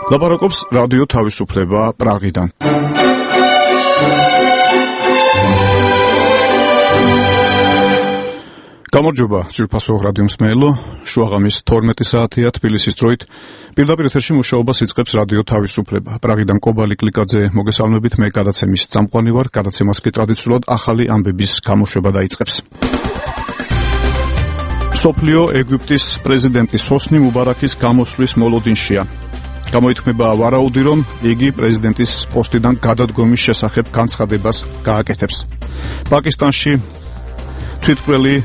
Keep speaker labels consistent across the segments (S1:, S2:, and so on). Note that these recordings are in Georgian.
S1: ლაპარაკობს რადიო თავისუფლება პრაღიდან. გამარჯობა, ძვირფასო რადიო მსმენელო, შუაღამის 12 საათია თბილისის დროით. პირდაპირ ეთერში მუშაობას იწყებს რადიო თავისუფლება. პრაღიდან კობალი კლიკაძე მოგესალმებით, მე გადაცემის წამყვანი ვარ. გადაცემას კი ტრადიციულად ახალი ამბების გამოშვება დაიწყებს. სოფლიო ეგვიპტის პრეზიდენტის ჰოსნი მუბარაქის გამოსვლის მოლოდინშია. გამოითქმება ვარაუდი, რომ იგი პრეზიდენტის პოსტიდან გადადგომის შესახებ განცხადებას გააკეთებს. პაკისტანში თვითმკვლელი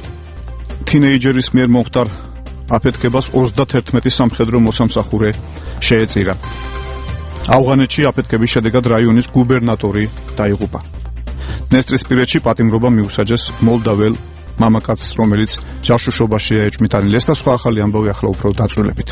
S1: თინეიჯერის მიერ მომხდარ აფეთქებას 31 სამხედრო მოსამსახურე შეეწირა. ავღანეთში აფეთქების შედეგად რაიონის გუბერნატორი დაიღუპა. დნესტრისპირეთში პატიმრობა მიუსაჯეს მოლდაվել მამაკაცს, რომელიც ჯაშუშობაშია ეჭვმიტანილი. ეს და სხვა ახალი ამბავი ახლა უფრო დაწვრილებით.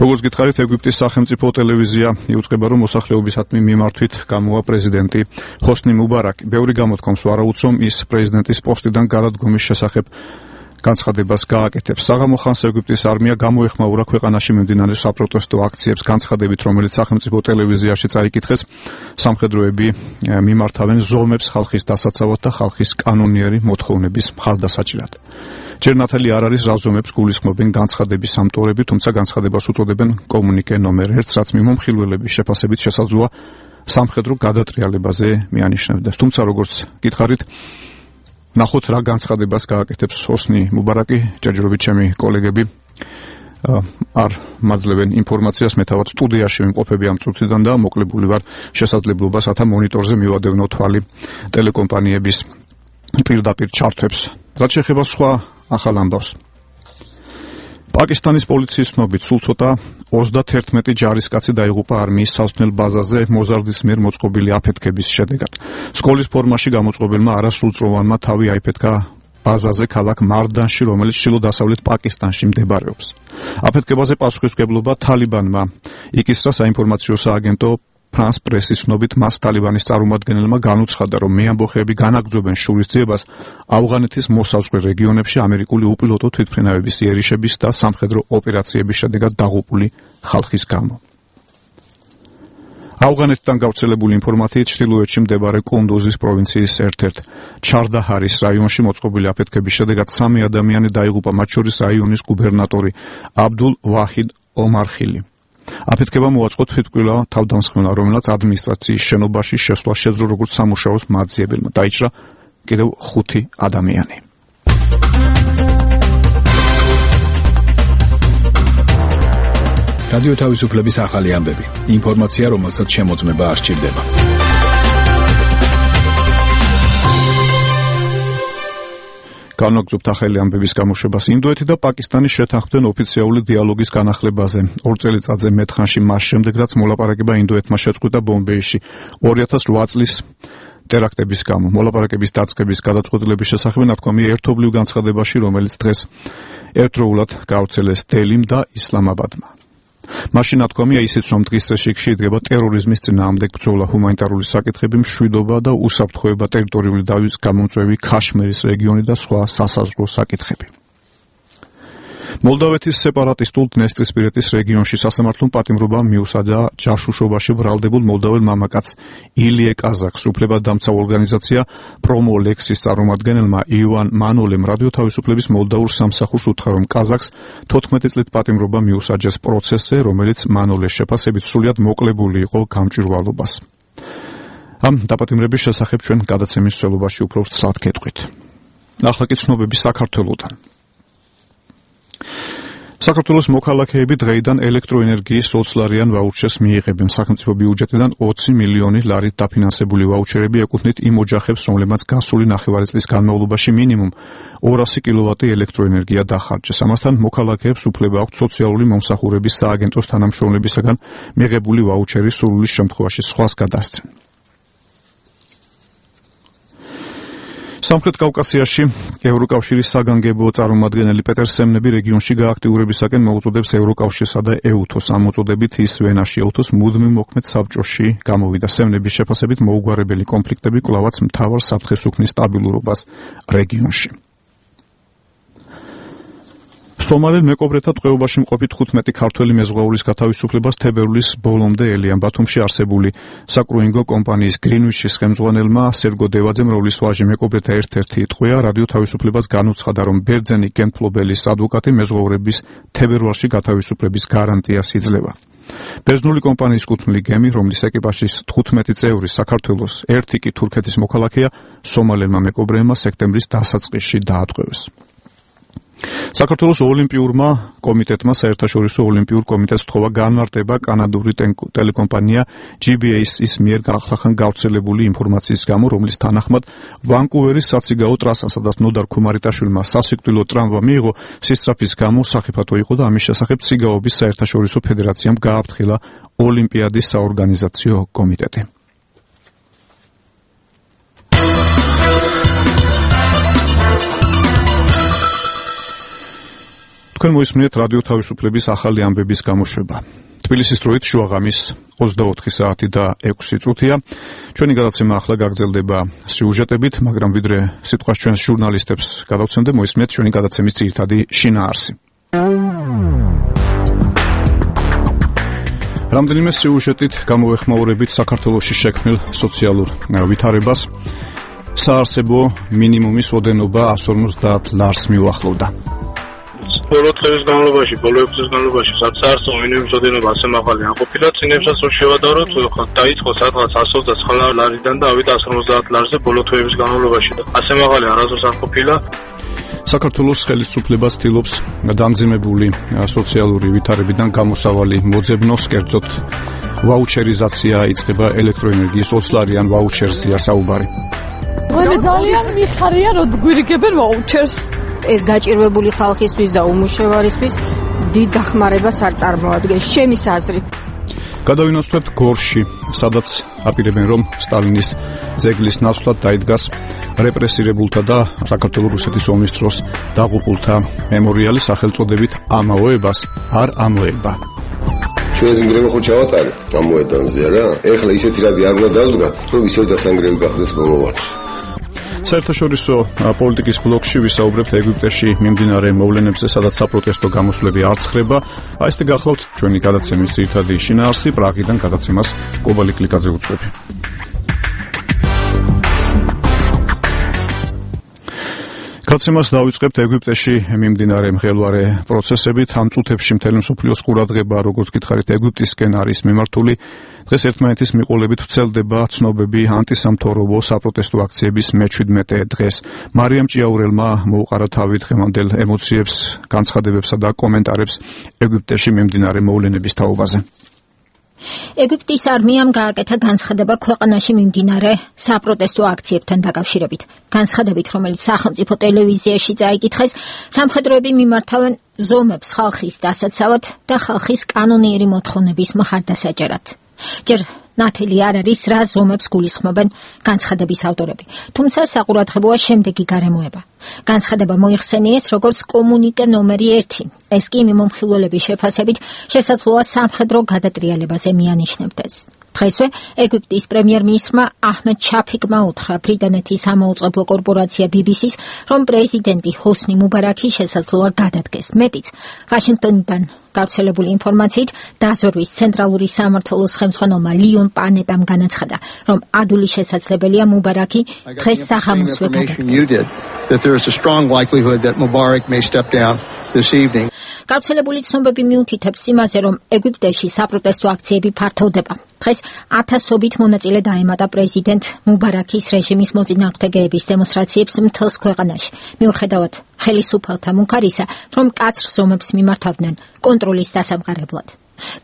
S1: როგორც გითხარით, ეგვიპტის სახელმწიფო ტელევიზია იუწყება, რომ მოსახლეობისადმი მიმართვით გამოვა პრეზიდენტი ჰოსნი მუბარაკი. ბევრი გამოთქვამს ვარაუდს, რომ ის პრეზიდენტის პოსტიდან გადადგომის შესახებ განცხადებას გააკეთებს. საღამო ხანს ეგვიპტის არმია გამოეხმაურა ქვეყანაში მიმდინარე საპროტესტო აქციებს განცხადებით, რომელიც სახელმწიფო ტელევიზიაში წაიკითხეს. სამხედროები მიმართავენ ზომებს ხალხის დასაცავად და ხალხის კანონიერი მოთხოვნების მხარდასაჭრად. ჯერ ნათელი არ არის რა ზომებს გულისხმობენ განცხადების ავტორები, თუმცა განცხადებას უწოდებენ კომუნიკე ნომერ 1-ს, რაც მიმომხილველების შეფასებით შესაძლოა სამხედრო გადატრიალებაზე მიანიშნებდეს. თუმცა როგორც გითხარით, ნახოთ რა განცხადებას გააკეთებს ჰოსნი მუბარაკი. ჯერჯერობით ჩემი კოლეგები არ მაძლევენ ინფორმაციას, მე თავად სტუდიაში ვიმყოფები ამ წუთიდან და მოკლებული ვარ შესაძლებლობას, რათა მონიტორზე მივადევნო თვალი ტელეკომპანიების პირდაპირ ჩართვებს. რაც შეეხება სხვა ახალ ამბავს. პაკისტანის პოლიციის ცნობით სულ ცოტა 31 ჯარისკაცი დაიღუპა არმიის სასმელ ბაზაზე მოზარდის მიერ მოწყობილი აფეთქების შედეგად. სკოლის ფორმაში გამოწყობილმა არასრულწლოვანმა თავი აიფეთქა ბაზაზე ქალაქ მარდანში, რომელიც ჩრდილო-დასავლეთ პაკისტანში მდებარეობს. აფეთქებაზე პასუხისმგებლობა თალიბანმა იკისრა. საინფორმაციო სააგენტო ფრანს პრესის ცნობით მას თალიბანის წარმომადგენელმა განუცხადა, რომ მეამბოხეები განაგრძობენ შურისძიებას ავღანეთის მოსაზღვრე რეგიონებში ამერიკული უპილოტო თვითმფრინავების იერიშების და სამხედრო ოპერაციების შედეგად დაღუპული ხალხის გამო. ავღანეთიდან გავრცელებული ინფორმაციით ჩრდილოეთში მდებარე კუნდუზის პროვინციის ერთ-ერთ ჩარდაჰარის რაიონში მოწყობილი აფეთქების შედეგად 3 ადამიანი დაიღუპა, მათ შორის რაიონის გუბერნატორი აბდულ ვაჰიდ ომარხილი. აფეთქება მოაწყო თვითმკვლელ თავდამსხმელმა, რომელსაც ადმინისტრაციის შენობაში შესვლა შეძლო როგორც სამუშაოს მაძიებელმა. დაიჭრა კიდევ 5 ადამიანი.
S2: რადიო თავისუფლების ახალი ამბები. ინფორმაცია, რომელსაც შემოწმება არ სჭირდება.
S1: განვაგრძობთ ახალი ამბების გამოშვებას. ინდოეთი და პაკისტანი შეთანხმდნენ ოფიციალური დიალოგის განახლებაზე. 2 წელიწადზე მეტხანში მას შემდეგ, რაც მოლაპარაკება ინდოეთმა შეწყვიტა ბომბეიში 2008 წლის ტერაქტების გამო. მოლაპარაკების დაწყების გადაწყვეტილების შესახებ ნათქვამია ერთობლივ განცხადებაში, რომელიც დღეს ერთდროულად გავრცელეს დელიმ და ისლამაბადმა. მაშინ ნათქვამია ისიც, რომ დღის წესრიგში იდგება ტერორიზმის წინააღმდეგ ბრძოლა, ჰუმანიტარული საკითხები, მშვიდობა და უსაფრთხოება, ტერიტორიული დავის გამომწვევი ქაშმირის რეგიონი და სხვა სასაზღვრო საკითხები. მოლდავეთის სეპარატისტულ დნესტრისპირეთის რეგიონში სასამართლომ პატიმრობა მიუსაჯა ჯაშუშობაში ბრალდებულ მოლდაվել მამაკაცს ილიე კაზაკს. უფლებადამცავ ორგანიზაცია პრომოლექსის წარმომადგენელმა ივან მანოლემ რადიო თავისუფლების მოლდაურ სამსახურს უთხრა, რომ კაზაკს 14 წლით პატიმრობა მიუსაჯეს პროცესზე, რომელიც მანოლეს შეფასებით სრულიად მოკლებული იყო გამჭვირვალობას. ამ დაპატიმრების შესახებ ჩვენ გადაცემის მსვლელობაში უფრო ცალად გეტყვით. ახლა კი ცნობები საქართველოდან. საქართველოს მოქალაქეები დღეიდან ელექტროენერგიის 20 ლარიან ვაუჩერს მიიღებენ. სახელმწიფო ბიუჯეტიდან 20 მილიონი ლარით დაფინანსებული ვაუჩერები ეკუთვნით იმ ოჯახებს, რომლებმაც გასული 9 წლის განმავლობაში მინიმუმ 200 კილოვატი ელექტროენერგია დახარჯეს. ამასთან მოქალაქეებს უფლება აქვთ სოციალური მომსახურების სააგენტოს თანამშრომლებისაგან მიღებული ვაუჩერის სურვილის შემთხვევაში სხვას გადასცენ. სამხრეთ კავკასიაში ევროკავშირის საგანგებო წარმომადგენელი პეტერ სემნები რეგიონში გააქტიურებისაკენ მოუწოდებს ევროკავშირსა და ეუთოს. ამ მოწოდებით ის ვენაში ეუთოს მუდმივ მოქმედ საბჭოში გამოვიდა. სემნების შეფასებით მოუგვარებელი კონფლიქტები კვლავაც მთავარ საფრთხეს უქმნის სტაბილურობას რეგიონში. სომალელ მეკობრეთა ტყვეობაში მყოფი 15 ქართველი მეზღვაურის გათავისუფლებას თებერვლის ბოლომდე ელიან ბათუმში არსებული საკრუინგო კომპანიის გრინვიჩის ხელმძღვანელმა სერგო დევაძემ, რომლის ვაჟი მეკობრეთა ერთ-ერთი ტყვეა, რადიო თავისუფლებას განუცხადა, რომ ბერძენი გემთმფლობელის ადვოკატი მეზღვაურების თებერვალში გათავისუფლების გარანტიას იძლევა. ბერძნული კომპანიის კუთვნილი გემი, რომლის ეკიპაჟის 15 წევრი საქართველოს, ერთი კი თურქეთის მოქალაქეა, სომალელმა მეკობრეებმა სექტემბრის დასაწყისში დაატყვევეს. საქართველოს ოლიმპიურმა კომიტეტმა საერთაშორისო ოლიმპიურ კომიტეტს თხოვა განმარტება კანადური ტელეკომპანია GBA-ის მიერ ახლახან გავრცელებული ინფორმაციის გამო, რომლის თანახმად ვანკუვერის საციგაო ტრასა, სადაც ნოდარ ქუმარიტაშვილმა სასიკვდილო ტრამვა მიიღო, სისწრაფის გამო სახიფათო იყო და ამის შესახებ ციგაობის საერთაშორისო ფედერაციამ გააფრთხილა ოლიმპიადის საორგანიზაციო კომიტეტი. თქვენ მოისმინეთ რადიო თავისუფლების ახალი ამბების გამოშვება. თბილისის დროით შუაღამის 24 საათი და 6 წუთია. ჩვენი გადაცემა ახლა გაგრძელდება სიუჟეტებით, მაგრამ ვიდრე სიტყვას ჩვენს ჟურნალისტებს გადავცემდე, მოისმინეთ ჩვენი გადაცემის ძირითადი შინაარსი. რამდენიმე სიუჟეტით გამოვეხმაურებით საქართველოში შექმნილ სოციალურ ვითარებას. საარსებო მინიმუმის ოდენობა 150 ლარს მიუახლოვდა.
S3: ბოლო დღის განმავლობაში, ბოლო 6 წლის განმავლობაში, სადაც საარსებო მინიმუმის ოდენობა ასე მაღალი არ ყოფილა, წინებსაც რო შევადაროთ, დაიწყო სადღაც 129 ლარიდან და ავიდა 150 ლარზე ბოლო თვეების განმავლობაში და ასე მაღალი არასდროს არ ყოფილა.
S1: საქართველოს ხელისუფლებას ცდილობს დამძიმებული სოციალური ვითარებიდან გამოსავალი მოძებნოს, კერძოდ ვაუჩერიზაცია იწყება ელექტროენერგიის 20 ლარიან ვაუჩერსია საუბარი.
S4: მე ძალიან მიხარია, რომ გვირიგებენ ვაუჩერს. ეს გაჭირვებული ხალხისთვის და უმუშევარისთვის დიდ დახმარებას არ წარმოადგენს ჩემის აზრით.
S1: გადავინაცვლებთ გორში, სადაც აპირებენ, რომ სტალინის ძეგლის ნაცვლად დაიდგას რეპრესირებულთა და საქართველოს რუსეთის ომის დროს დაღუპულთა მემორიალი სახელწოდებით ამოებას არ ამოება.
S5: ჩვენს ნგრევა ხო ჩავატარეთ ამ მოედანზე რა? ეხლა ისეთი რადი არ უნდა დავდგათ, რომ ისევ დასანგრევი გახდეს მომავალში.
S1: საერთაშორისო პოლიტიკის ბლოკში ვისაუბრებთ ეგვიპტეში მიმდინარე მოვლენებზე, სადაც საპროტესტო გამოსვლები არ ცხრება. აստე გახლავთ ჩვენი გადაცემის ძირითადი შინაარსი. პრაღიდან გადაცემას კობალი კლიკაძე უწევს. გადაცემას დავიწყებთ ეგვიპტეში მიმდინარე მღელვარე პროცესებით. ამ წუთებში მთელი მსოფლიოს ყურადღება, როგორც გითხარით, ეგვიპტისკენ არის მიმართული. დღეს ერთმანეთის მიყოლებით ვრცელდება ცნობები ანტისამთავრობო საპროტესტო აქციების მე-17 დღეს. მარიამ ჭიაურელმა მოუყარა თავი დღევანდელ ემოციებს, განცხადებებსა და კომენტარებს ეგვიპტეში მიმდინარე მოვლენების თაობაზე.
S6: ეგვიპტის არმიამ გააკეთა განცხადება ქვეყანაში მიმდინარე საპროტესტო აქციებთან დაკავშირებით. განცხადებით, რომელიც სახელმწიფო ტელევიზიაში წაიკითხეს, სამხედროები მიმართავენ ზომებს ხალხის დასაცავად და ხალხის კანონიერი მოთხოვნების მხარდასაჭერად. ჯერ ნათელი არ არის, რა ზომებს გულისხმობენ განცხადების ავტორები. თუმცა საყურადღებოა შემდეგი გარემოება. განცხადება მოიხსენიეს როგორც კომუნიკე ნომერი 1. ეს კი მიმომხილველების შეფასებით შესაძლოა სამხედრო გადატრიალებაზე მიანიშნებდეს. დღესვე ეგვიპტის პრემიერ-მინისტრმა აჰმედ შაფიკმა უთხრა ბრიტანეთის ამოუწყებლო კორპორაცია BBC-ს, რომ პრეზიდენტი ჰოსნი მუბარაკი შესაძლოა გადადგეს. მეტიც, ვაშინგტონიდან გავრცელებული ინფორმაციით დაზვერვის ცენტრალური სამმართველოს ხელმძღვანელმა ლიონ პანეტამ განაცხადა, რომ ადვილი შესაძლებელია მუბარაკი დღეს საღამოსვე გადადგეს. გავრცელებული ცნობები მიუთითებს იმაზე, რომ ეგვიპტეში საპროტესტო აქციები ფართოვდება. დღეს ათასობით მონაწილე დაემატა პრეზიდენტ მუბარაკის რეჟიმის მოწინააღმდეგეების დემონსტრაციებს მთელს ქვეყანაში. მიუხედავად ხელისუფალთა მუქარისა, რომ მკაცრ ზომებს მიმართავდნენ კონტროლის დასამყარებლად.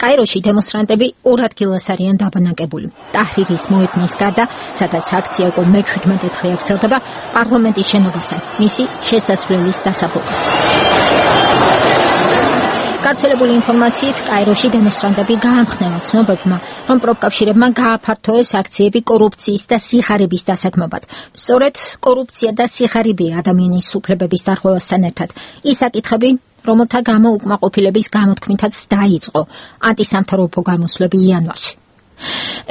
S6: კაიროში დემონსტრანტები 2 ადგილას არიან დაბანაკებული. ტაჰრირის მოედნის გარდა, სადაც აქცია უკვე მე-17 დღე გრძელდება, პარლამენტის შენობასთან, მისი შესასვლელის დასაბრუნებლად. გავრცელებული ინფორმაციით, კაიროში დემონსტრანტები გაამხნევა ცნობებმა, რომ პროფკავშირებმა გააფართოეს აქციები კორუფციის და სიხარების დასაქმებად. სწორედ კორუფცია და სიხარებია ადამიანის უფლებების დარღვევასთან ერთად. ის საკითხები, რომელთა გამო უკმაყოფილების გამოთქმითაც დაიწყო ანტისამთავრობო გამოსვლები იანვარში.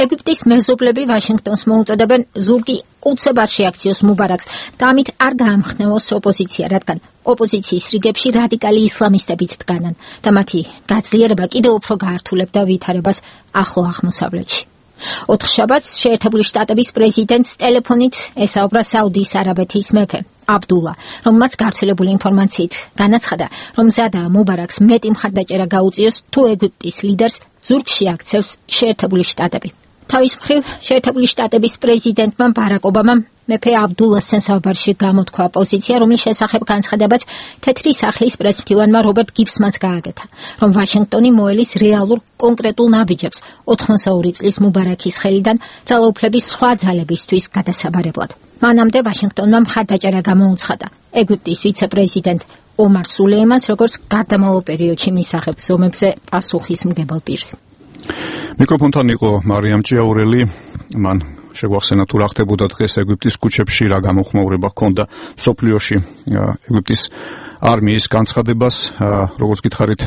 S6: ეგვიპტის მეზობლები ვაშინგტონს მოუწოდებენ ზურგი უცებ არ შეაქციოს მუბარაკს და ამით არ გაამხნევოს ოპოზიცია, რადგან ოპოზიციის რიგებში რადიკალი ისლამისტებიც დგანან და მათი გაძლიერება კიდევ უფრო გაართულებდა ვითარებას ახლო აღმოსავლეთში. 4 შაბათს შეერთებული შტატების პრეზიდენტს ტელეფონით ესაუბრა საუდის არაბეთის მეფე აბდულა, რომელმაც გავრცელებული ინფორმაციით განაცხადა, რომ მზადაა მუბარაკს მეტი მხარდაჭერა გაუწიოს თუ ეგვიპტის ლიდერს ზურგში აქცევს შეერთებული შტატები. თავის მხრივ შეერთებული შტატების პრეზიდენტმა ბარაკ ობამამ მეფე აბდულასთან საუბარში გამოთქვა პოზიცია, რომლის შესახებ განცხადებაც თეთრი სახლის პრესმფრთივანმა რობერტ გიბსმანს გააკეთა, რომ ვაშინგტონი მოელის რეალურ კონკრეტულ ნაბიჯებს 82 წლის მუბარაკის ხელიდან ძალაუფლების სხვა ძალებისთვის გადასაბარებლად. მანამდე ვაშინგტონმა მხარდაჭერა გამოუცხადა ეგვიპტის ვიცე-პრეზიდენტ ომარ სულეიმანს, როგორც გარდამავალ პერიოდში მისაღებ ზომებზე პასუხისმგებელ პირს.
S1: მიკროფონთან იყო მარიამ ჭიაურელი. მან შეგვახსენა თუ რა ხდებოდა დღეს ეგვიპტის ქუჩებში, რა გამოხმაურება ჰქონდა მსოფლიოში ეგვიპტის არმიის განცხადებას. როგორც გითხარით,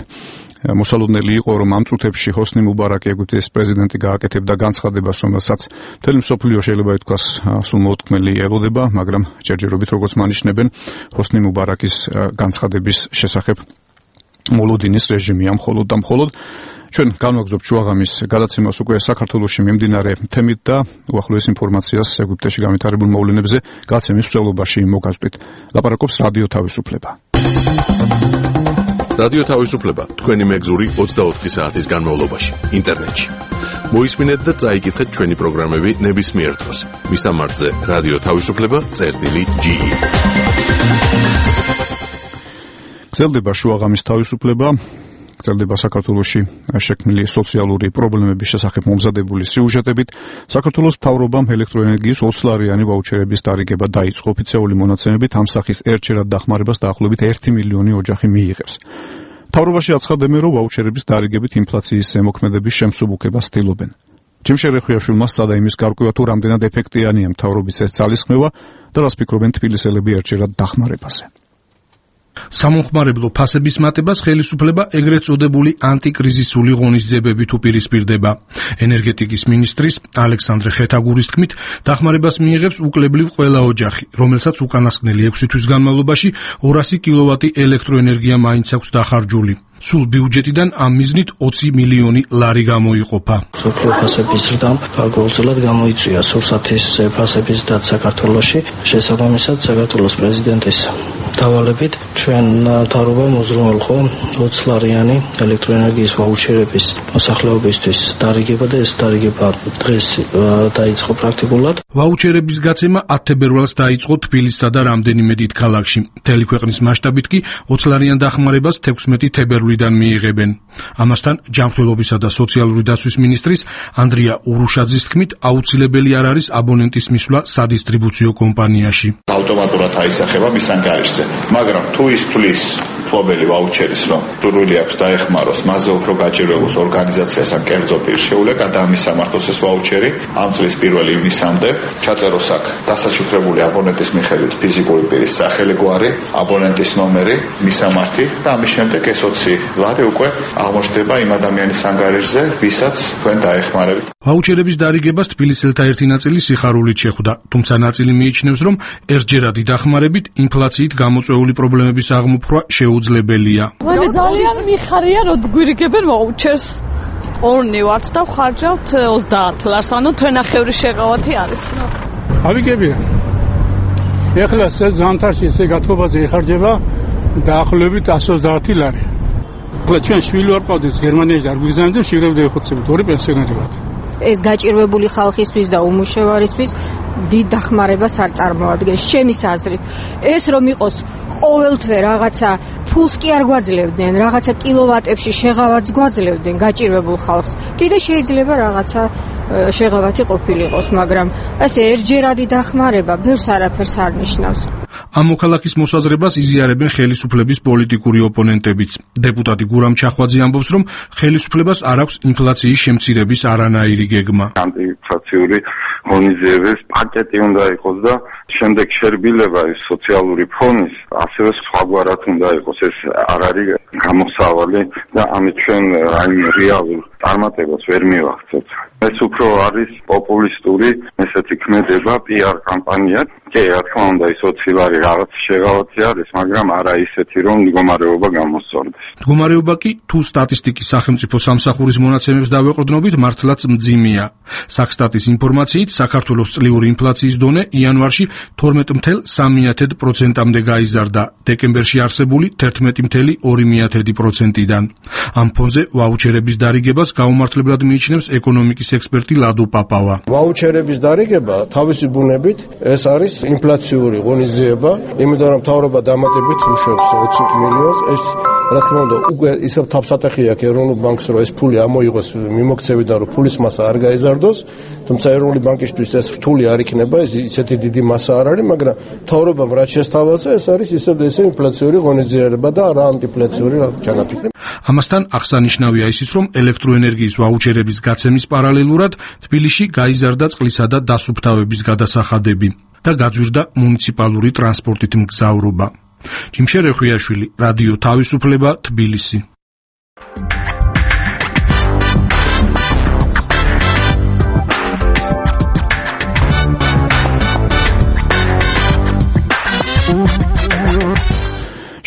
S1: მოსალოდნელი იყო, რომ ამ წუთებში ჰოსნი მუბარაკი ეგვიპტის პრეზიდენტი გააკეთებდა განცხადებას, რომელსაც მთელი მსოფლიო შეიძლება ითქვას სულ მოუთქმელი ელოდება, მაგრამ ჯერჯერობით როგორც მანიშნებენ, ჰოსნი მუბარაკის განცხადების შესახებ მოლოდინის რეჟიმია მხოლოდ და მხოლოდ. ჩვენ განვაგრძობთ შუაღამის გადაცემას უკვე საქართველოში მიმდინარე თემით და უახლოეს ინფორმაციას ეგვიპტეში განვითარებულ მოვლენებზე გადაცემის მსვლელობაში მოგაზრდით. ლაპარაკობს რადიო თავისუფლება.
S7: რადიო თავისუფლება თქვენი მეგზური 24 საათის განმავლობაში ინტერნეტში. მოისმინეთ და წაიკითხეთ ჩვენი პროგრამები ნებისმიერ დროს. მისამართზე რადიო თავისუფლება.ge.
S1: გრძელდება შუაღამის თავისუფლება. გრძელდება საქართველოში შექმნილი სოციალური პრობლემების შესახებ მომზადებული სიუჟეტებით. საქართველოს მთავრობამ ელექტროენერგიის 20 ლარიანი ვაუჩერების დარიგება დაიწყო. ოფიციალური მონაცემებით ამ სახის ერთჯერად დახმარებას დაახლოებით 1 მილიონი ოჯახი მიიღებს. მთავრობაში აცხადებენ, რომ ვაუჩერების დარიგებით ინფლაციის ზემოქმედების შემსუბუქებას ცდილობენ. ჯიმშე რეხვიაშვილმა სცადა იმის გარკვევა, თუ რამდენად ეფექტიანია მთავრობის ეს ძალისხმევა და რას ფიქრობენ თბილისელები ერთჯერად დახმარებაზე.
S8: სამომხმარებლო ფასების მატებას ხელისუფლება ეგრეთ წოდებული ანტიკრიზისული ღონისძიებებით უპირისპირდება. ენერგეტიკის მინისტრის ალექსანდრე ხეთაგურის თქმით, დახმარებას მიიღებს უკლებლივ ყველა ოჯახი, რომელსაც უკანასკნელი 6 თვის განმავლობაში 200 კილოვატი ელექტროენერგია მაინც აქვს დახარჯული. სულ ბიუჯეტიდან ამ მიზნით 20 მილიონი ლარი გამოიყოფა.
S9: სოფლიო ფასების ზრდამ გარკვეულწილად გამოიწვია სურსათის ფასების დაც საქართველოში. შესაბამისად, საქართველოს პრეზიდენტის დავალებით ჩვენ მთავრობამ უზრუნველყო 20 ლარიანი ელექტროენერგიის ვაუჩერების მოსახლეობისთვის დარიგება და ეს დარიგება დღეს დაიწყო პრაქტიკულად.
S8: ვაუჩერების გაცემა 10 თებერვალს დაიწყო თბილისსა და რამდენიმე დიდ ქალაქში. მთელი ქვეყნის მასშტაბით კი 20 ლარიან დახმარებას 16 თებერვლიდან მიიღებენ. ამასთან ჯანმრთელობისა და სოციალური დაცვის მინისტრის ანდრია ურუშაძის თქმით, აუცილებელი არ არის აბონენტის მისვლა სადისტრიბუციო კომპანიაში.
S10: ავტომატურად აისახება მის ანგარიშზე, მაგრამ თუ ის თulis ფლობელი ვაუჩერის, რომ სურვილი აქვს დაეხმაროს, მასზე უფრო გაჭირვებულს ორგანიზაციას ან კერძო პირს შეუძლია გადაამისამართოს ეს ვაუჩერი ამ წლის 1 ივნისამდე. ჩაწეროს აქ დასაჩუქრებული აბონენტის მიხედვით ფიზიკური პირის სახელი, გვარი, აბონენტის ნომერი, მისამართი და ამის შემდეგ ეს 20 ლარი უკვე აღმოჩნდება იმ ადამიანის ანგარიშზე, ვისაც თქვენ დაეხმარებით.
S8: ვაუჩერების დარიგებას თბილისელთა ერთი ნაწილი სიხარულით შეხვდა, თუმცა ნაწილი მიიჩნევს, რომ ერთჯერადი დახმარებით ინფლაციით გამოწვეული პრობლემების აღმოფხვრა შეუძლებელია.
S4: მე ძალიან მიხარია, რომ გვირიგებენ ვაუჩერს. ორნი ვართ და ვხარჯავთ 30 ლარს, ანუ თვენახევრის შეღავათი არის.
S11: ავიგებია. ეხლა ზამთარში ესე გათბობაზე იხარჯება დაახლოებით 130 ლარი. ეხლა ჩვენ შვილი ვარ ყავდეს გერმანიაში და არ გვიგზავნებდნენ, შეგრებდა ეხოცებით, ორი პენსიონერი ვართ.
S4: ეს გაჭირვებული ხალხისთვის და უმუშევარისთვის დიდ დახმარებას არ წარმოადგენს ჩემის აზრით. ეს რომ იყოს ყოველთვე რაღაცა ფულს კი არ გვაძლევდნენ, რაღაცა კილოვატებში შეღავათს გვაძლევდნენ გაჭირვებულ ხალხს. კიდე შეიძლება რაღაცა შეღავათი ყოფილიყოს, მაგრამ ასე ერთჯერადი დახმარება ბევრს არაფერს არ ნიშნავს.
S8: ამ მოქალაქის მოსაზრებას იზიარებენ ხელისუფლების პოლიტიკური ოპონენტებიც. დეპუტატი გურამ ჩახვაძე ამბობს, რომ ხელისუფლებას არ აქვს ინფლაციის შემცირების არანაირი გეგმა.
S12: ანტიინფლაციური ღონისძიების პაკეტი უნდა იყოს და შემდეგ შერბილება ის სოციალური ფონის ასევე სხვაგვარად უნდა იყოს. ეს არ არის გამოსავალი და ამით ჩვენ რაიმე რეალურ წარმატებას ვერ მივახცევთ. ეს უფრო არის პოპულისტური ესეთი ქმედება, PR კამპანია. კი, რა თქმა უნდა, ის 20 ლარი რაღაც შეღავათი არის, მაგრამ არა ისეთი, რომ მდგომარეობა გამოსწორდეს.
S8: მდგომარეობა კი თუ სტატისტიკის სახელმწიფო სამსახურის მონაცემებს დავეყრდნობით, მართლაც მძიმეა. საქსტატის ინფორმაციით, საქართველოს წლიური ინფლაციის დონე იანვარში 12.3%-მდე გაიზარდა, დეკემბერში არსებული 11.2%-დან. ამ ფონზე ვაუჩერების დარიგებას გაუმართლებლად მიიჩნევს ეკონომიკის ექსპერტი ლადო პაპავა.
S13: ვაუჩერების დარიგება თავისი ბუნებით ეს არის ინფლაციური ღონისძიება, იმიტომ რომ მთავრობა დამატებით უშვებს 20 მილიონს, ეს რა თქმა უნდა უკვე ისევ თავსატეხი აქვს ეროვნულ ბანკს, რომ ეს ფული ამოიღოს მიმოქცევიდან, რომ ფულის მასა არ გაიზარდოს, თუმცა ეროვნული ბანკისთვის ეს რთული არ იქნება, ისეთი დიდი მასა არ არის, მაგრამ მთავრობამ რაც შესთავაზა, ეს არის ისევ ინფლაციური ღონისძიება და რა ანტიინფლაციური ჩანაფიქრი.
S8: ამასთან აღსანიშნავია ისიც, რომ ელექტროენერგიის ვაუჩერების გაცემის პარალელურად თბილისში გაიზარდა წყლისა და დასუფთავების გადასახადები და გაძვირდა მუნიციპალური ტრანსპორტით მგზავრობა. ჯიმშე რეხვიაშვილი, რადიო თავისუფლება, თბილისი.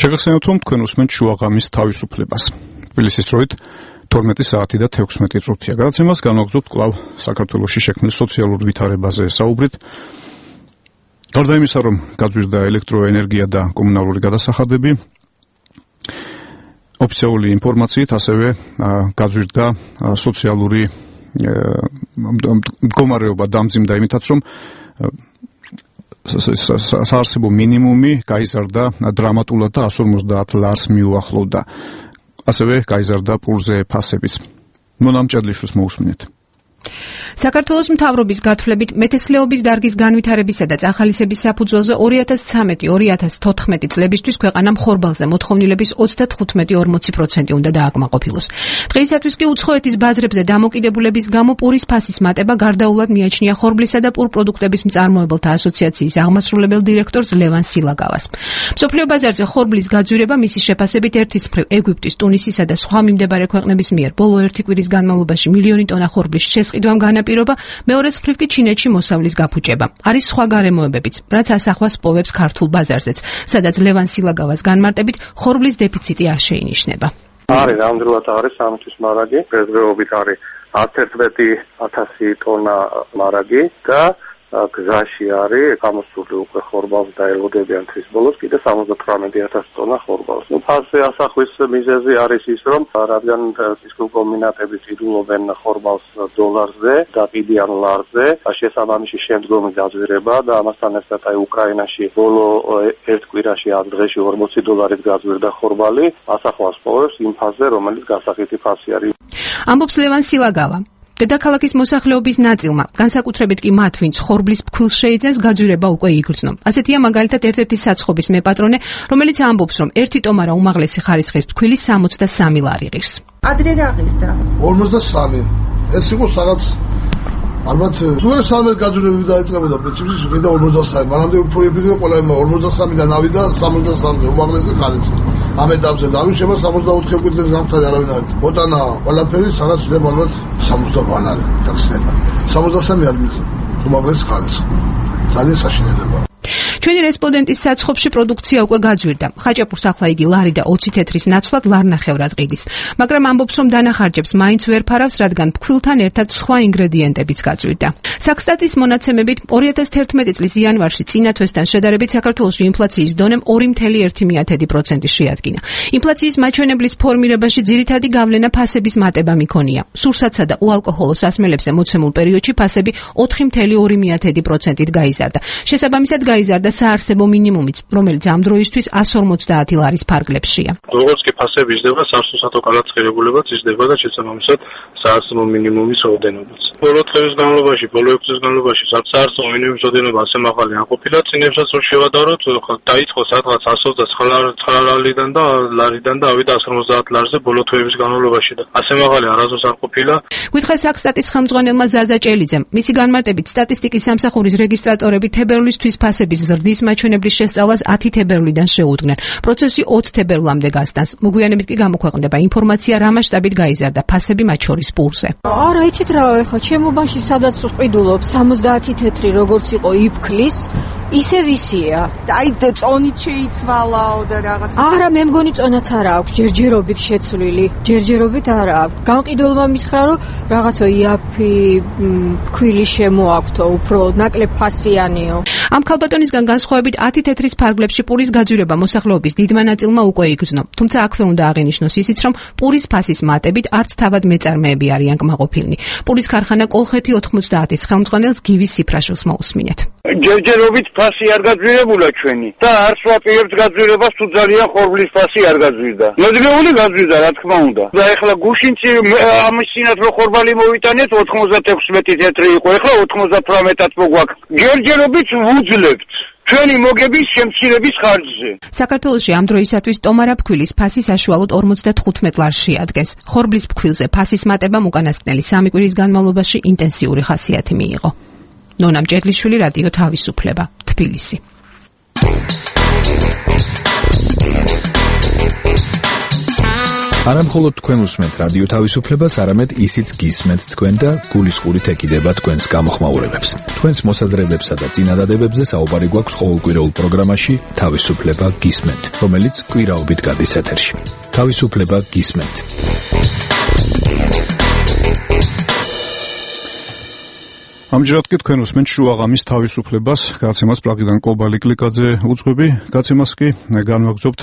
S1: შეგახსენებთ, რომ თქვენ უსმენთ შუაღამის თავისუფლებას. თბილისის დროით 12 საათი და 16 წუთია. გადაცემას განვაგრძობთ კვლავ საქართველოში შექმნილ სოციალურ ვითარებაზე საუბრით. გარდა იმისა, რომ გაძვირდა ელექტროენერგია და კომუნალური გადასახადები, ოფიციალური ინფორმაციით ასევე გაძვირდა სოციალური მდგომარეობა დამძიმდა იმითაც, რომ საარსებო მინიმუმი გაიზარდა დრამატულად და 150 ლარს მიუახლოვდა. ასევე გაიზარდა პურზე ფასებიც. მონამ ჭედლიშვილს მოусმინეთ.
S14: საქართველოს მთავრობის გათვლებით მეთესლეობის დარგის განვითარებისა და წახალისების საფუძველზე 2013-2014 წლებისთვის ქვეყანამ ხორბალზე მოთხოვნილების 35-40% უნდა დააკმაყოფილოს. დღეისათვის კი უცხოეთის ბაზრებზე დამოკიდებულების გამო პურის ფასის მატება გარდაულად მიაჩნია ხორბლისა და პურ პროდუქტების მწარმოებელთა ასოციაციის აღმასრულებელ დირექტორს ლევან სილაგავას. მსოფლიო ბაზარზე ხორბლის გაძვირება მისი შეფასებით ერთის მხრივ ეგვიპტის, ტუნისისა და სხვა მიმდებარე ქვეყნების მიერ ბოლო ერთი კვირის განმავლობაში მილიონი ტონა ხორბლის შესყიდვამ განაპირობა, მეორეს მხრივ კი ჩინეთში მოსავლის გაფუჭება. არის სხვა გარემოებებიც, რაც ასახვას პოვებს ქართულ ბაზარზეც, სადაც ლევან სილაგავას განმარტებით ხორბლის დეფიციტი არ შეინიშნება.
S15: არის ნამდვილად არის სამთვის მარაგი, დღესდღეობით არის 11,000 ტონა მარაგი და გზაში არის გამოსული უკვე ხორბალს და ელოდებიან თვის ბოლოს კიდე 78,000 ტონა ხორბალს. ფასზე ასახვის მიზეზი არის ის, რომ რადგან სისხლკომბინატები ცდილობენ ხორბალს დოლარზე და კიდიან ლარზე, შესაბამისი შემდგომი გაძვირება და ამასთან ერთად უკრაინაში ბოლო ერთ კვირაში 10 დღეში 40 დოლარით გაძვირდა ხორბალი, ასახვას პოვებს იმ ფასზე, რომელიც გასახითი ფასი არის.
S14: ამბობს ლევან სილაგავა. დედაქალაქის მოსახლეობის ნაწილმა, განსაკუთრებით კი მათ, ვინც ხორბლის ფქვილს შეიძენს, გაძვირება უკვე იგრძნო. ასეთია მაგალითად ერთ-ერთი საცხობის მეპატრონე, რომელიც ამბობს, რომ ერთი ტომარა უმაღლესი ხარისხის ფქვილი 63 ლარი ღირს.
S16: ადრე რა ღირდა?
S17: 53. ეს იყო რაღაც ალბათ თუ ეს სამეთ გაძვირებები დაიწყებოდა პრინციპში მინდა 53, მანამდე უფრო ებიდო ყველა 53-დან ავიდა 63 უმაღლესი ხარისხი. ამ ეტაპზე დავიშება 64 კვირას გამხდარი არავინ არ არის. მოტანა ყველაფერი სადაც შეიძლება ალბათ 60 არის დახსნება. 63 ადგილზე უმაღლესი ხარისხი. ძალიან საშინელებაა.
S14: ჩვენი რესპონდენტის საცხობში პროდუქცია უკვე გაძვირდა. ხაჭაპურს ახლა იგი ლარი და 20 თეთრის ნაცვლად ლარნახევრად ყიდის. მაგრამ ამბობს, რომ დანახარჯებს მაინც ვერ ფარავს, რადგან ფქვილთან ერთად სხვა ინგრედიენტებიც გაძვირდა. საქსტატის მონაცემებით 2011 წლის იანვარში წინა თვესთან შედარებით საქართველოში ინფლაციის დონემ 2.1% შეადგინა. ინფლაციის მაჩვენებლის ფორმირებაში ძირითადი გავლენა ფასების მატება მიქონია. სურსათსა და უალკოჰოლო სასმელებზე მოცემულ პერიოდში ფასები 4.2%-ით გაიზარდა. შესაბამისად გაიზარდა საარსებო მინიმუმიც, რომელიც ამ დროისთვის 150 ლარის ფარგლებშია.
S3: როგორც კი ფასები იზრდება, სასურსათო კალათღირებულებაც იზრდება და შესაბამისად საარსებო მინიმუმის რაოდენობაც. ბოლო დღის განმავლობაში, ბოლო 6 წლის განმავლობაში საარსებო მინიმუმის რაოდენობა ასე მაღალი არ ყოფილა, წინებსაც რო შევადაროთ, დაიწყო სადღაც 129 ლარიდან და ავიდა 150 ლარზე ბოლო თვეების განმავლობაში და ასე მაღალი არასდროს არ ყოფილა.
S14: გითხრა საქსტატის ხელმძღვანელმა ზაზა ჭელიძემ, მისი განმარტებით სტატისტიკის სამსახურის რეგისტრატორები თებერვლისთვის ფასების გზის მაჩვენებლის შესწავლას 10 თებერვლიდან შეუდგნენ. პროცესი 20 თებერვლამდე გასტანს. მოგვიანებით კი გამოქვეყნდება ინფორმაცია, რა მასშტაბით გაიზარდა ფასები მათ შორის პურზე.
S4: არა, იცით რა, ეხლა ჩემობაში სადაც ვყიდულობ 70 თეთრი როგორც იყო იფქლის, ისევ ისეა.
S16: აი წონით შეიცვალაო და რაღაც.
S4: არა, მე მგონი წონაც არა აქვს, ჯერჯერობით შეცვლილი. ჯერჯერობით არა აქვს. გამყიდველმა მითხრა, რომ რაღაცა იაფი ფქვილი შემოაქვთო, უფრო ნაკლებ ფასიანიო.
S14: ამ ქალბატონისგან განსხვავებით 10 თეთრის ფარგლებში პურის გაძვირება მოსახლეობის დიდმა ნაწილმა უკვე იგრძნო. თუმცა აქვე უნდა აღინიშნოს ისიც, რომ პურის ფასის მატებით არც თავად მეწარმეები არიან კმაყოფილნი. პურის ქარხანა კოლხეთი 90-ის ხელმძღვანელს გივის სიფრაშილს მოусმინეთ.
S18: ჯერჯერობით ფასი არ გაძვირებულა ჩვენი და არც ვაპირებთ გაძვირებას, თუ ძალიან ხორბლის ფასი არ გაძვირდა. მოძრეული გაძვირდა, რა თქმა უნდა. და ეხლა გუშინ ამის წინათ რო ხორბალი მოვიტანეთ 96 თეთრი იყო, ეხლა 98-ად მოგვაქვს. ჯერჯერობით ვუძლებთ ჩვენი მოგების შემცირების ხარჯზე.
S14: საქართველოში ამ დროისათვის ტომარა ფქვილის ფასი საშუალოდ 55 ლარში ადგენს. ხორბლის ფქვილზე ფასის მატებამ უკანასკნელი 3 კვირის განმავლობაში ინტენსიური ხასიათი მიიღო. ნონა მჭედლიშვილი, რადიო თავისუფლება, თბილისი.
S2: არა მხოლოდ თქვენ უსმენთ რადიო თავისუფლებას, არამედ ისიც გისმენთ თქვენ და გულისყურით ეკიდება თქვენს გამოხმაურებებს. თქვენს მოსაზრებებსა და წინადადებებზე საუბარი გვაქვს ყოველკვირეულ პროგრამაში თავისუფლება გისმენთ, რომელიც კვირაობით გადის ეთერში. თავისუფლება გისმენთ.
S1: ამჯერად კი თქვენ უსმენთ შუაღამის თავისუფლებას, გაცემას პრაღიდან კობალი კლიკაძე უძღვები, გაცემას კი განვაგრძობთ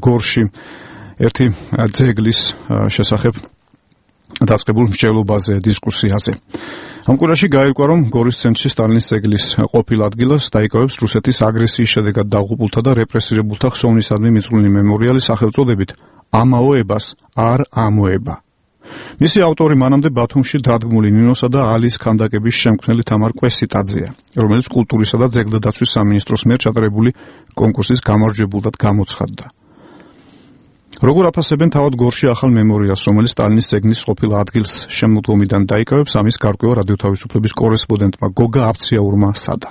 S1: გორში ერთი ძეგლის შესახებ დაწყებულ მსჯელობაზე, დისკუსიაზე. ამ კვირაში გაირკვა, რომ გორის ცენტრში სტალინის ძეგლის ყოფილ ადგილას დაიკავებს რუსეთის აგრესიის შედეგად დაღუპულთა და რეპრესირებულთა ხსოვნისადმი მიწვრილი მემორიალი სახელწოდებით „ამაოებას არ ამოება“. მისი ავტორი მანამდე ბათუმში დადგმული ნინოსა და ალის ქანდაკების შემქმნელი თამარ კვესიტაძეა, რომელიც კულტურისა და ძეგლდაცვის სამინისტროს მიერ ჩატარებული კონკურსის გამარჯვებულად გამოცხადდა. როგორ აფასებენ თავად გორში ახალ მემორიალს, რომელიც სტალინის ძეგლის ყოფილ ადგილს შემოდგომიდან დაიკავებს, ამის გარკვევა რადიო თავისუფლების კორესპონდენტმა გოგა აბციაურმა სადა.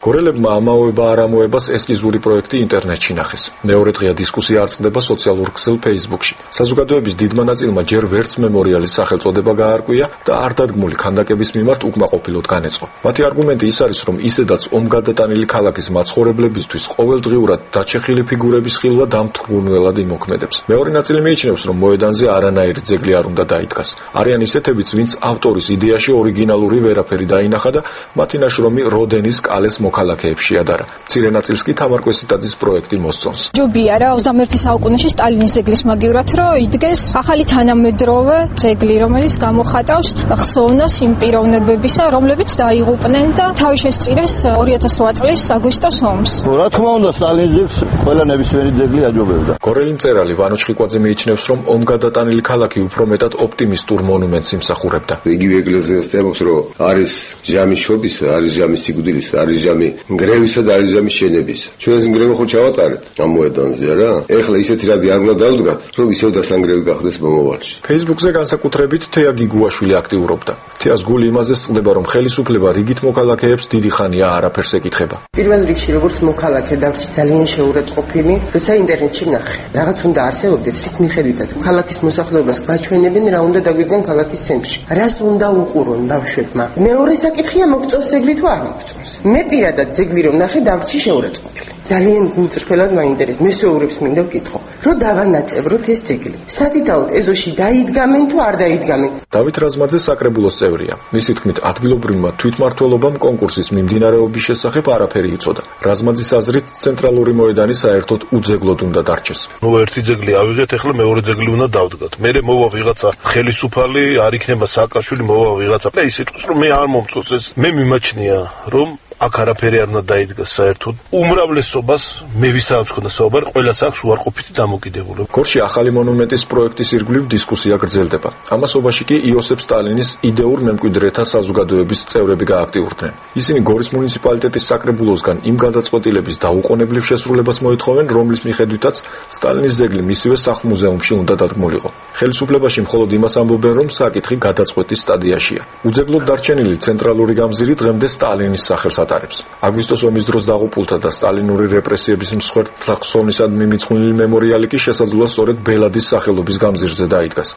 S19: გორელებმა ამაოება არ ამოებას ესკიზური პროექტი ინტერნეტში ნახეს. მეორე დღეა დისკუსია არწყდება სოციალურ ქსელ Facebook-ში. საზოგადოების დიდმა ნაწილმა ჯერ ვერც მემორიალის სახელწოდება გაარკვია და არ დადგმული ქანდაკების მიმართ უკმაყოფილოდ განეწყო. მათი არგუმენტი ის არის, რომ ისედაც ომგადატანილი ქალაქის მაცხოვრებლებისთვის ყოველდღიურად დაჩეხილი ფიგურების ხილვა დამთვრუნველად იმოქმედებს. მეორე ნაწილი მიიჩნევს, რომ მოედანზე არანაირი ძეგლი არ უნდა დაიდგას. არიან ისეთებიც, ვინც ავტორის იდეაში ორიგინალური ვერაფერი დაინახა და მათი ნაშრომი როდენის კალეს მოქალაქეებში ადარა. მცირე ნაწილს კი თამარ კვესიტაძის პროექტი მოსწონს.
S20: ჯობია რა 21 საუკუნეში სტალინის ძეგლის მაგივრად რომ იდგეს ახალი თანამედროვე ძეგლი, რომელიც გამოხატავს ხსოვნას იმ პიროვნებებისა, რომლებიც დაიღუპნენ და თავი შესწირეს 2008 წლის აგვისტოს ომს.
S21: რა თქმა უნდა, სტალინის ძეგლს ყველა ნებისმიერი ძეგლი აჯობებდა.
S19: გორელი მწერალი ვანო ჩხიკვაძე მიიჩნევს, რომ ომგადატანილი ქალაქი უფრო მეტად ოპტიმისტურ მონუმენტს იმსახურებდა.
S5: იგივე ეკლესიას თემობს, რომ არის ჟამის შობის, არის ჟამის სიკვდილის, არის ჟამი გრევისა და არის ჟამის შენების. ჩვენ ეს გრევა ხო ჩავატარეთ ამ მოედანზე რა. ეხლა ისეთი რადი არ უნდა დავდგათ, რომ ისევ დასანგრევი გახდეს მომავალში.
S19: Facebook-ზე განსაკუთრებით თეა გიგუაშვილი აქტიურობდა. თეას გული იმაზე წყდება, რომ ხელისუფლება რიგით მოქალაქეებს დიდი ხანია არაფერს ეკითხება.
S22: პირველ რიგში როგორც მოქალაქე დავრჩი ძალიან შეურაცხყოფილი, როცა ინტერნეტში ნახე. რაღაც უნდა არსებობდეს, რის მიხედვითაც ქალაქის მოსახლეობას გვაჩვენებენ რა უნდა დაგვიძენ ქალაქის ცენტრში. რას უნდა უყურონ ბავშვებმა. მეორე საკითხია მოგწონს ძეგლი თუ არ მოგწონს. მე პირადად ძეგლი რომ ნახე დავრჩი შეურაცხყოფილი. ძალიან გულწრფელად მაინტერესებს. მესეურებს მინდა ვკითხო, რომ დავანაწევროთ ეს ძეგლი. სადიდაოდ ეზოში დაიდგამენ თუ არ დაიდგამენ.
S19: დავით რაზმაძე საკრებულოს წევრია. მისი თქმით, ადგილობრივმა თვითმმართველობამ კონკურსის მიმდინარეობის შესახებ არაფერი იცოდა. რაზმაძის აზრით, ცენტრალური მოედანი საერთოდ უძეგლოდ უნდა დარჩეს.
S23: ერთი ძეგლი ავიღეთ, ახლა მეორე ძეგლი უნდა დავდგათ. მე მოვა ვიღაცა ხელისუფალი, არ იქნება სააკაშვილი, მოვა ვიღაცა. და ის იტყვის, რომ მე არ მომწონს ეს. მე მიმაჩნია, რომ აქ არაფერი არ უნდა დაიდგას საერთოდ. უმრავლესობას მე ვისთანაც ხონდა საუბარი, ყველას აქვს უარყოფითი დამოკიდებულება.
S19: გორში ახალი მონუმენტის პროექტის ირგვლივ დისკუსია გრძელდება. ამასობაში კი იოსებ სტალინის იდეურ მემკვიდრეთა საზოგადოების წევრები გააქტიურდნენ. ისინი გორის მუნიციპალიტეტის საკრებულოსგან იმ გადაწყვეტილების დაუყოვნებლივ შესრულებას მოითხოვენ, რომლის მიხედვითაც სტალინის ძეგლი მისივე სახლ-მუზეუმში უნდა დადგმულიყო. ხელისუფლებაში მხოლოდ იმას ამბობენ, რომ საკითხი გადაწყვეტის სტადიაშია. უძეგლოდ დარჩენილი ცენტრალური გამზირი დღემდე სტალინის სახელს ატარებს. აგვისტოს ომის დროს დაღუპულთა და სტალინური რეპრესიების მსხვერპლთა ხსოვნისადმი მიძღვნილი მემორიალი კი შესაძლოა სწორედ ბელადის სახელობის გამზირზე დაიდგას.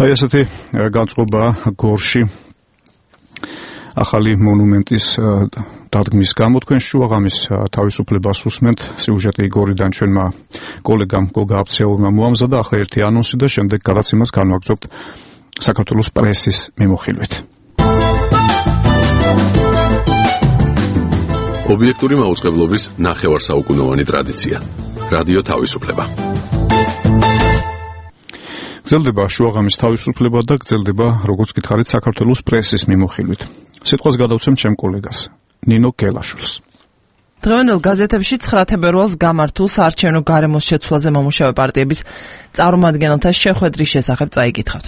S1: აი ესეთი განწყობა გორში ახალი მონუმენტის დადგმის გამო თქვენ შუაღამის თავისუფლებას უსმენთ. სიუჟეტი გორიდან ჩვენმა კოლეგამ გოგა აფცეულმა მოამზადა. ახლა ერთი ანონსი და შემდეგ გადაცემას განვაგრძობთ საქართველოს პრესის მიმოხილვით.
S6: ობიექტური მაუწყებლობის ნახევარსაუკუნოვანი ტრადიცია. რადიო თავისუფლება.
S1: გრძელდება შუაღამის თავისუფლება და გრძელდება, როგორც გითხარით, საქართველოს პრესის მიმოხილვით. სიტყვას გადავცემ ჩემ კოლეგას ნინო გელაშვილს.
S7: დღევანდელ გაზეთებში 9 თებერვალს გამართულ საარჩევნო გარემოს შეცვლაზე მომუშავე პარტიების წარმომადგენელთა შეხვედრის შესახებ წაიკითხავთ.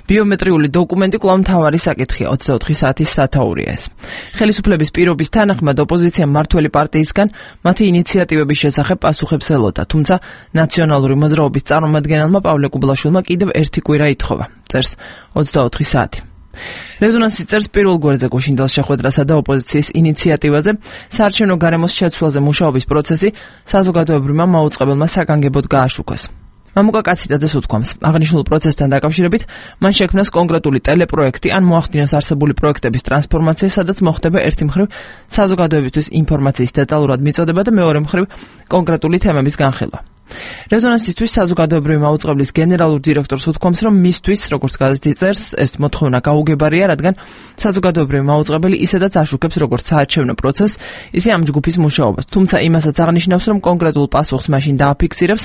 S7: ბიომეტრიული დოკუმენტი კვლავ მთავარი საკითხია 24 საათის სათაურია ეს. ხელისუფლების პირობის თანახმად ოპოზიცია მმართველი პარტიისგან მათი ინიციატივების შესახებ პასუხებს ელოდა, თუმცა ნაციონალური მოძრაობის წარმომადგენელმა პავლე კუბლაშვილმა კიდევ ერთი კვირა ითხოვა. წერს 24 საათი. რეზონანსი წერს პირველ გვერდზე გუშინდელ შეხვედრასა და ოპოზიციის ინიციატივაზე საარჩევნო გარემოს შეცვლაზე მუშაობის პროცესი საზოგადოებრივმა მაუწყებელმა საგანგებოდ გააშუქეს. მამუკა კაციტაძეს უთქვამს, აღნიშნულ პროცესთან დაკავშირებით მან შექმნას კონკრეტული ტელეპროექტი ან მოახდინოს არსებული პროექტების ტრანსფორმაცია, სადაც მოხდება ერთი მხრივ საზოგადოებისთვის ინფორმაციის დეტალურად მიწოდება და მეორე მხრივ კონკრეტული თემების განხილვა. რეზონანსისთვის საზოგადოებრივი მაუწყებლის გენერალურ დირექტორს უთქვამს, რომ მისთვის, როგორც გაზეთი წერს, ეს მოთხოვნა გაუგებარია, რადგან საზოგადოებრივი მაუწყებელი ისედაც აშუქებს როგორც საარჩევნო პროცესს, ისე ამ ჯგუფის მუშაობას. თუმცა იმასაც აღნიშნავს, რომ კონკრეტულ პასუხს მაშინ დააფიქსირებს,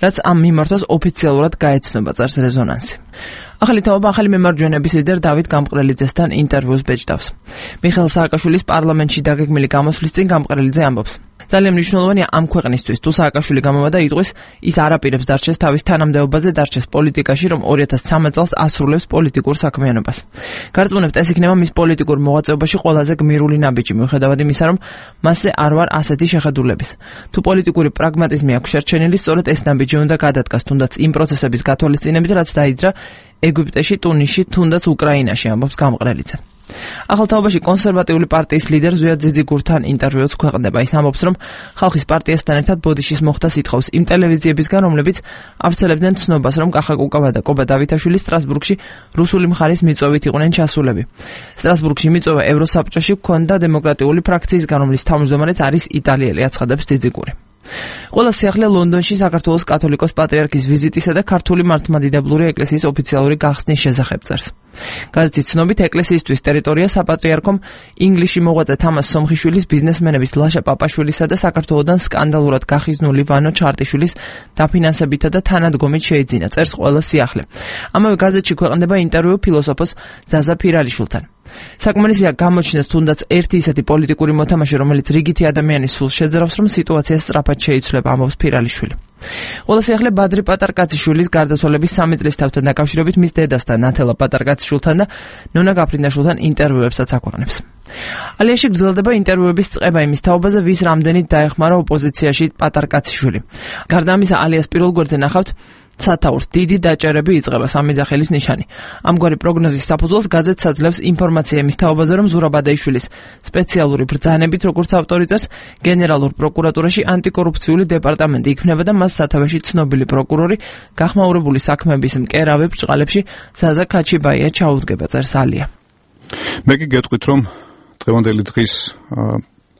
S7: რაც ამ მიმართვას ოფიციალურად გაეცნობა, წერს რეზონანსი. ახალი თაობა ახალი მემარჯვენეების ლიდერ დავით გამყრელიძესთან ინტერვიუს ბეჭდავს. მიხეილ სააკაშვილის პარლამენტში დაგეგმილი გამოსვლის წინ გამყრელიძე ამბობს: ძალიან მნიშვნელოვანია ამ ქვეყნისთვის, თუ სააკაშვილი გამოვა და იტყვის, ის არ აპირებს დარჩეს თავის თანამდებობაზე, დარჩეს პოლიტიკაში, რომ 2013 წელს ასრულებს პოლიტიკურ საქმიანობას. გარწმუნებთ, ეს იქნება მის პოლიტიკურ მოღვაწეობაში ყველაზე გმირული ნაბიჯი, მიუხედავად იმისა, რომ მასზე არ ვარ ასეთი შეხედულების. თუ პოლიტიკური პრაგმატიზმი აქვს შერჩენილი, სწორედ ეს ნაბიჯი უნდა გადადგას, თუნდაც იმ პროცესების გათვალისწინებით, რაც დაიძრა ეგვიპტეში, ტუნისში, თუნდაც უკრაინაში, ამბობს გამყრელიძე. ახალ თაობაში კონსერვატიული პარტიის ლიდერ ზვიად ძიძიგურთან ინტერვიუც ქვეყნდება. ის ამბობს, რომ ხალხის პარტიასთან ერთად ბოდიშის მოხდას ითხოვს იმ ტელევიზიებისგან, რომლებიც ავრცელებდნენ ცნობას, რომ კახა კუკავა და კობა დავითაშვილი სტრასბურგში რუსული მხარის მიწვევით იყვნენ ჩასულები. სტრასბურგში მიწვევა ევროსაბჭოში ჰქონდა დემოკრატიული ფრაქციისგან, რომლის თავმჯდომარეც არის იტალიელი, აცხადებს ძიძიგური. ყველა სიახლე ლონდონში საქართველოს კათოლიკოს პატრიარქის ვიზიტისა და ქართული მართლმადიდებლური ეკლესიის ოფიციალური გახსნის შესახებ წერს. გაზეთის ცნობით, ეკლესიისთვის ტერიტორია საპატრიარქომ ინგლისში მოღვაწე თამას სომხიშვილის, ბიზნესმენების ლაშა პაპაშვილისა და საქართველოდან სკანდალურად გახიზნული ვანო ჩარტიშვილის დაფინანსებითა და თანადგომით შეიძინა, წერს ყველა სიახლე. ამავე გაზეთში ქვეყნდება ინტერვიუ ფილოსოფოს ზაზა ფირალიშვილთან. საკმარისია გამოჩნდეს თუნდაც ერთი ისეთი პოლიტიკური მოთამაშე, რომელიც რიგითი ადამიანის სულს შეძრავს, რომ სიტუაცია სწრაფად შეიცვლება, ამბობს ფირალიშვილი. ყველა სიახლე ბადრი პატარკაციშვილის გარდაცვალების 3 წლის თავთან დაკავშირებით მის დედასთან, ნათელა პატარკაციშვილთან და ნონა გაფრინდაშვილთან ინტერვიუებსაც აქვეყნებს. ალიაში გრძელდება ინტერვიუების წყება იმის თაობაზე, ვის რამდენით დაეხმარა ოპოზიციაში პატარკაციშვილი. გარდა ამისა, ალიას პირველ გვერდზე ნახავთ სათაურს დიდი დაჭერები იწყება, სამი ძახილის ნიშანი. ამგვარი პროგნოზის საფუძველს გაზეთს აძლევს ინფორმაცია იმის თაობაზე, რომ ზურაბადეიშვილის სპეციალური ბრძანებით, როგორც ავტორი წერს, გენერალურ პროკურატურაში ანტიკორუფციული დეპარტამენტი იქმნება და მას სათავეში ცნობილი პროკურორი გახმაურებული საქმეების მკერავი ბრჭყალებში ზაზა ქაჩიბაია ჩაუდგება, წერს ალია.
S1: მე კი გეტყვით, რომ დღევანდელი დღის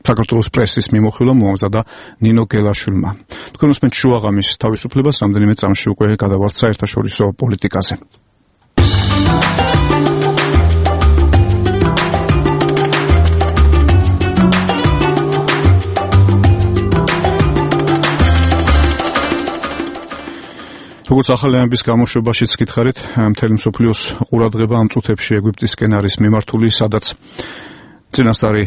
S1: საქართველოს პრესის მიმოხილვა მოამზადა ნინო გელაშვილმა. თქვენ უსმენთ შუაღამის თავისუფლებას, რამდენიმე წამში უკვე გადავართ საერთაშორისო პოლიტიკაზე. როგორც ახალიანების გამოშვებაშიც გითხარით, მთელი მსოფლიოს ყურადღება ამ წუთებში ეგვიპტისკენ არის მიმართული, სადაც წინასწარი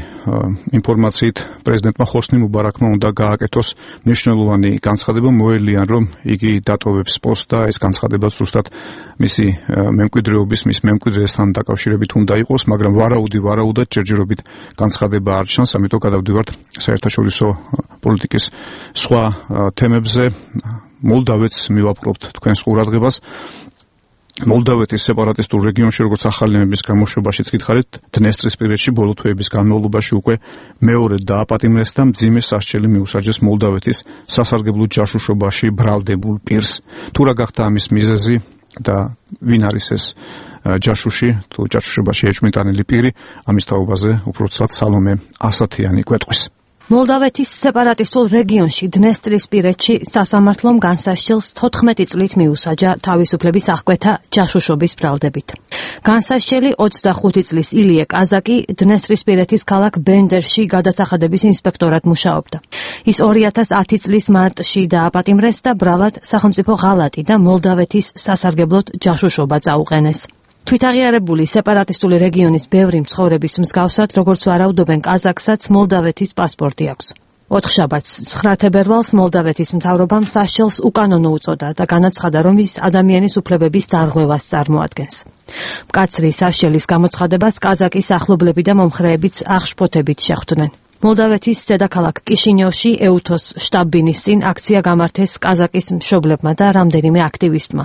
S1: ინფორმაციით პრეზიდენტმა ხოსნი მუბარაკმა უნდა გააკეთოს მნიშვნელოვანი განცხადება, მოელიან, რომ იგი დატოვებს პოსტს და ეს განცხადება ზუსტად მისი მემკვიდრეობის, მის მემკვიდრესთან დაკავშირებით უნდა იყოს, მაგრამ ვარაუდად ჯერჯერობით განცხადება არ ჩანს, ამიტომ გადავდივართ საერთაშორისო პოლიტიკის სხვა თემებზე. მოლდავეთს მივაპყრობთ თქვენს ყურადღებას. მოლდავეთის სეპარატისტულ რეგიონში, როგორც ახალინების გამოშვებაშიც გითხარით, დნესტრისპირეთში ბოლო თვეების განმავლობაში უკვე მეორედ დააპატიმრეს და მძიმე სასჯელი მიუსაჯეს მოლდავეთის სასარგებლო ჯაშუშობაში ბრალდებულ პირს. თუ რა გახდა ამის მიზეზი და ვინ არის ეს ჯაშუში, თუ ჯაშუშობაში ეჭვმიტანილი პირი, ამის თაობაზე უფრო ცალ სალომე ასათიანი გვეტყვის.
S9: მოლდავეთის სეპარატისტულ რეგიონში დნესტრისპირეთში სასამართლომ განსასჯელს 14 წლით მიუსაჯა თავისუფლების აღკვეთა ჯაშუშობის ბრალდებით. განსასჯელი 25 წლის ილია კაზაკი დნესტრისპირეთის ქალაქ ბენდერში გადასახადების ინსპექტორად მუშაობდა. ის 2010 წლის მარტში დააპატიმრეს და ბრალად სახელმწიფო ღალატი და მოლდავეთის სასარგებლოდ ჯაშუშობა წაუყენეს. თვითაღიარებული სეპარატისტული რეგიონის ბევრი მცხოვრების მსგავსად, როგორც ვარაუდობენ კაზაკსაც, მოლდავეთის პასპორტი აქვს. 4 შაბათს 9 თებერვალს მოლდავეთის მთავრობამ სასჯელს უკანონო უწოდა და განაცხადა, რომ ის ადამიანის უფლებების დარღვევას წარმოადგენს. მკაცრი სასჯელის გამოცხადებას კაზაკის ახლობლები და მომხრეებიც აღშფოთებით შეხვდნენ. მოლდავეთის დედაქალაქ კიშინიოვში ეუთოს შტაბ-ბინის წინ აქცია გამართეს კაზაკის მშობლებმა და რამდენიმე აქტივისტმა.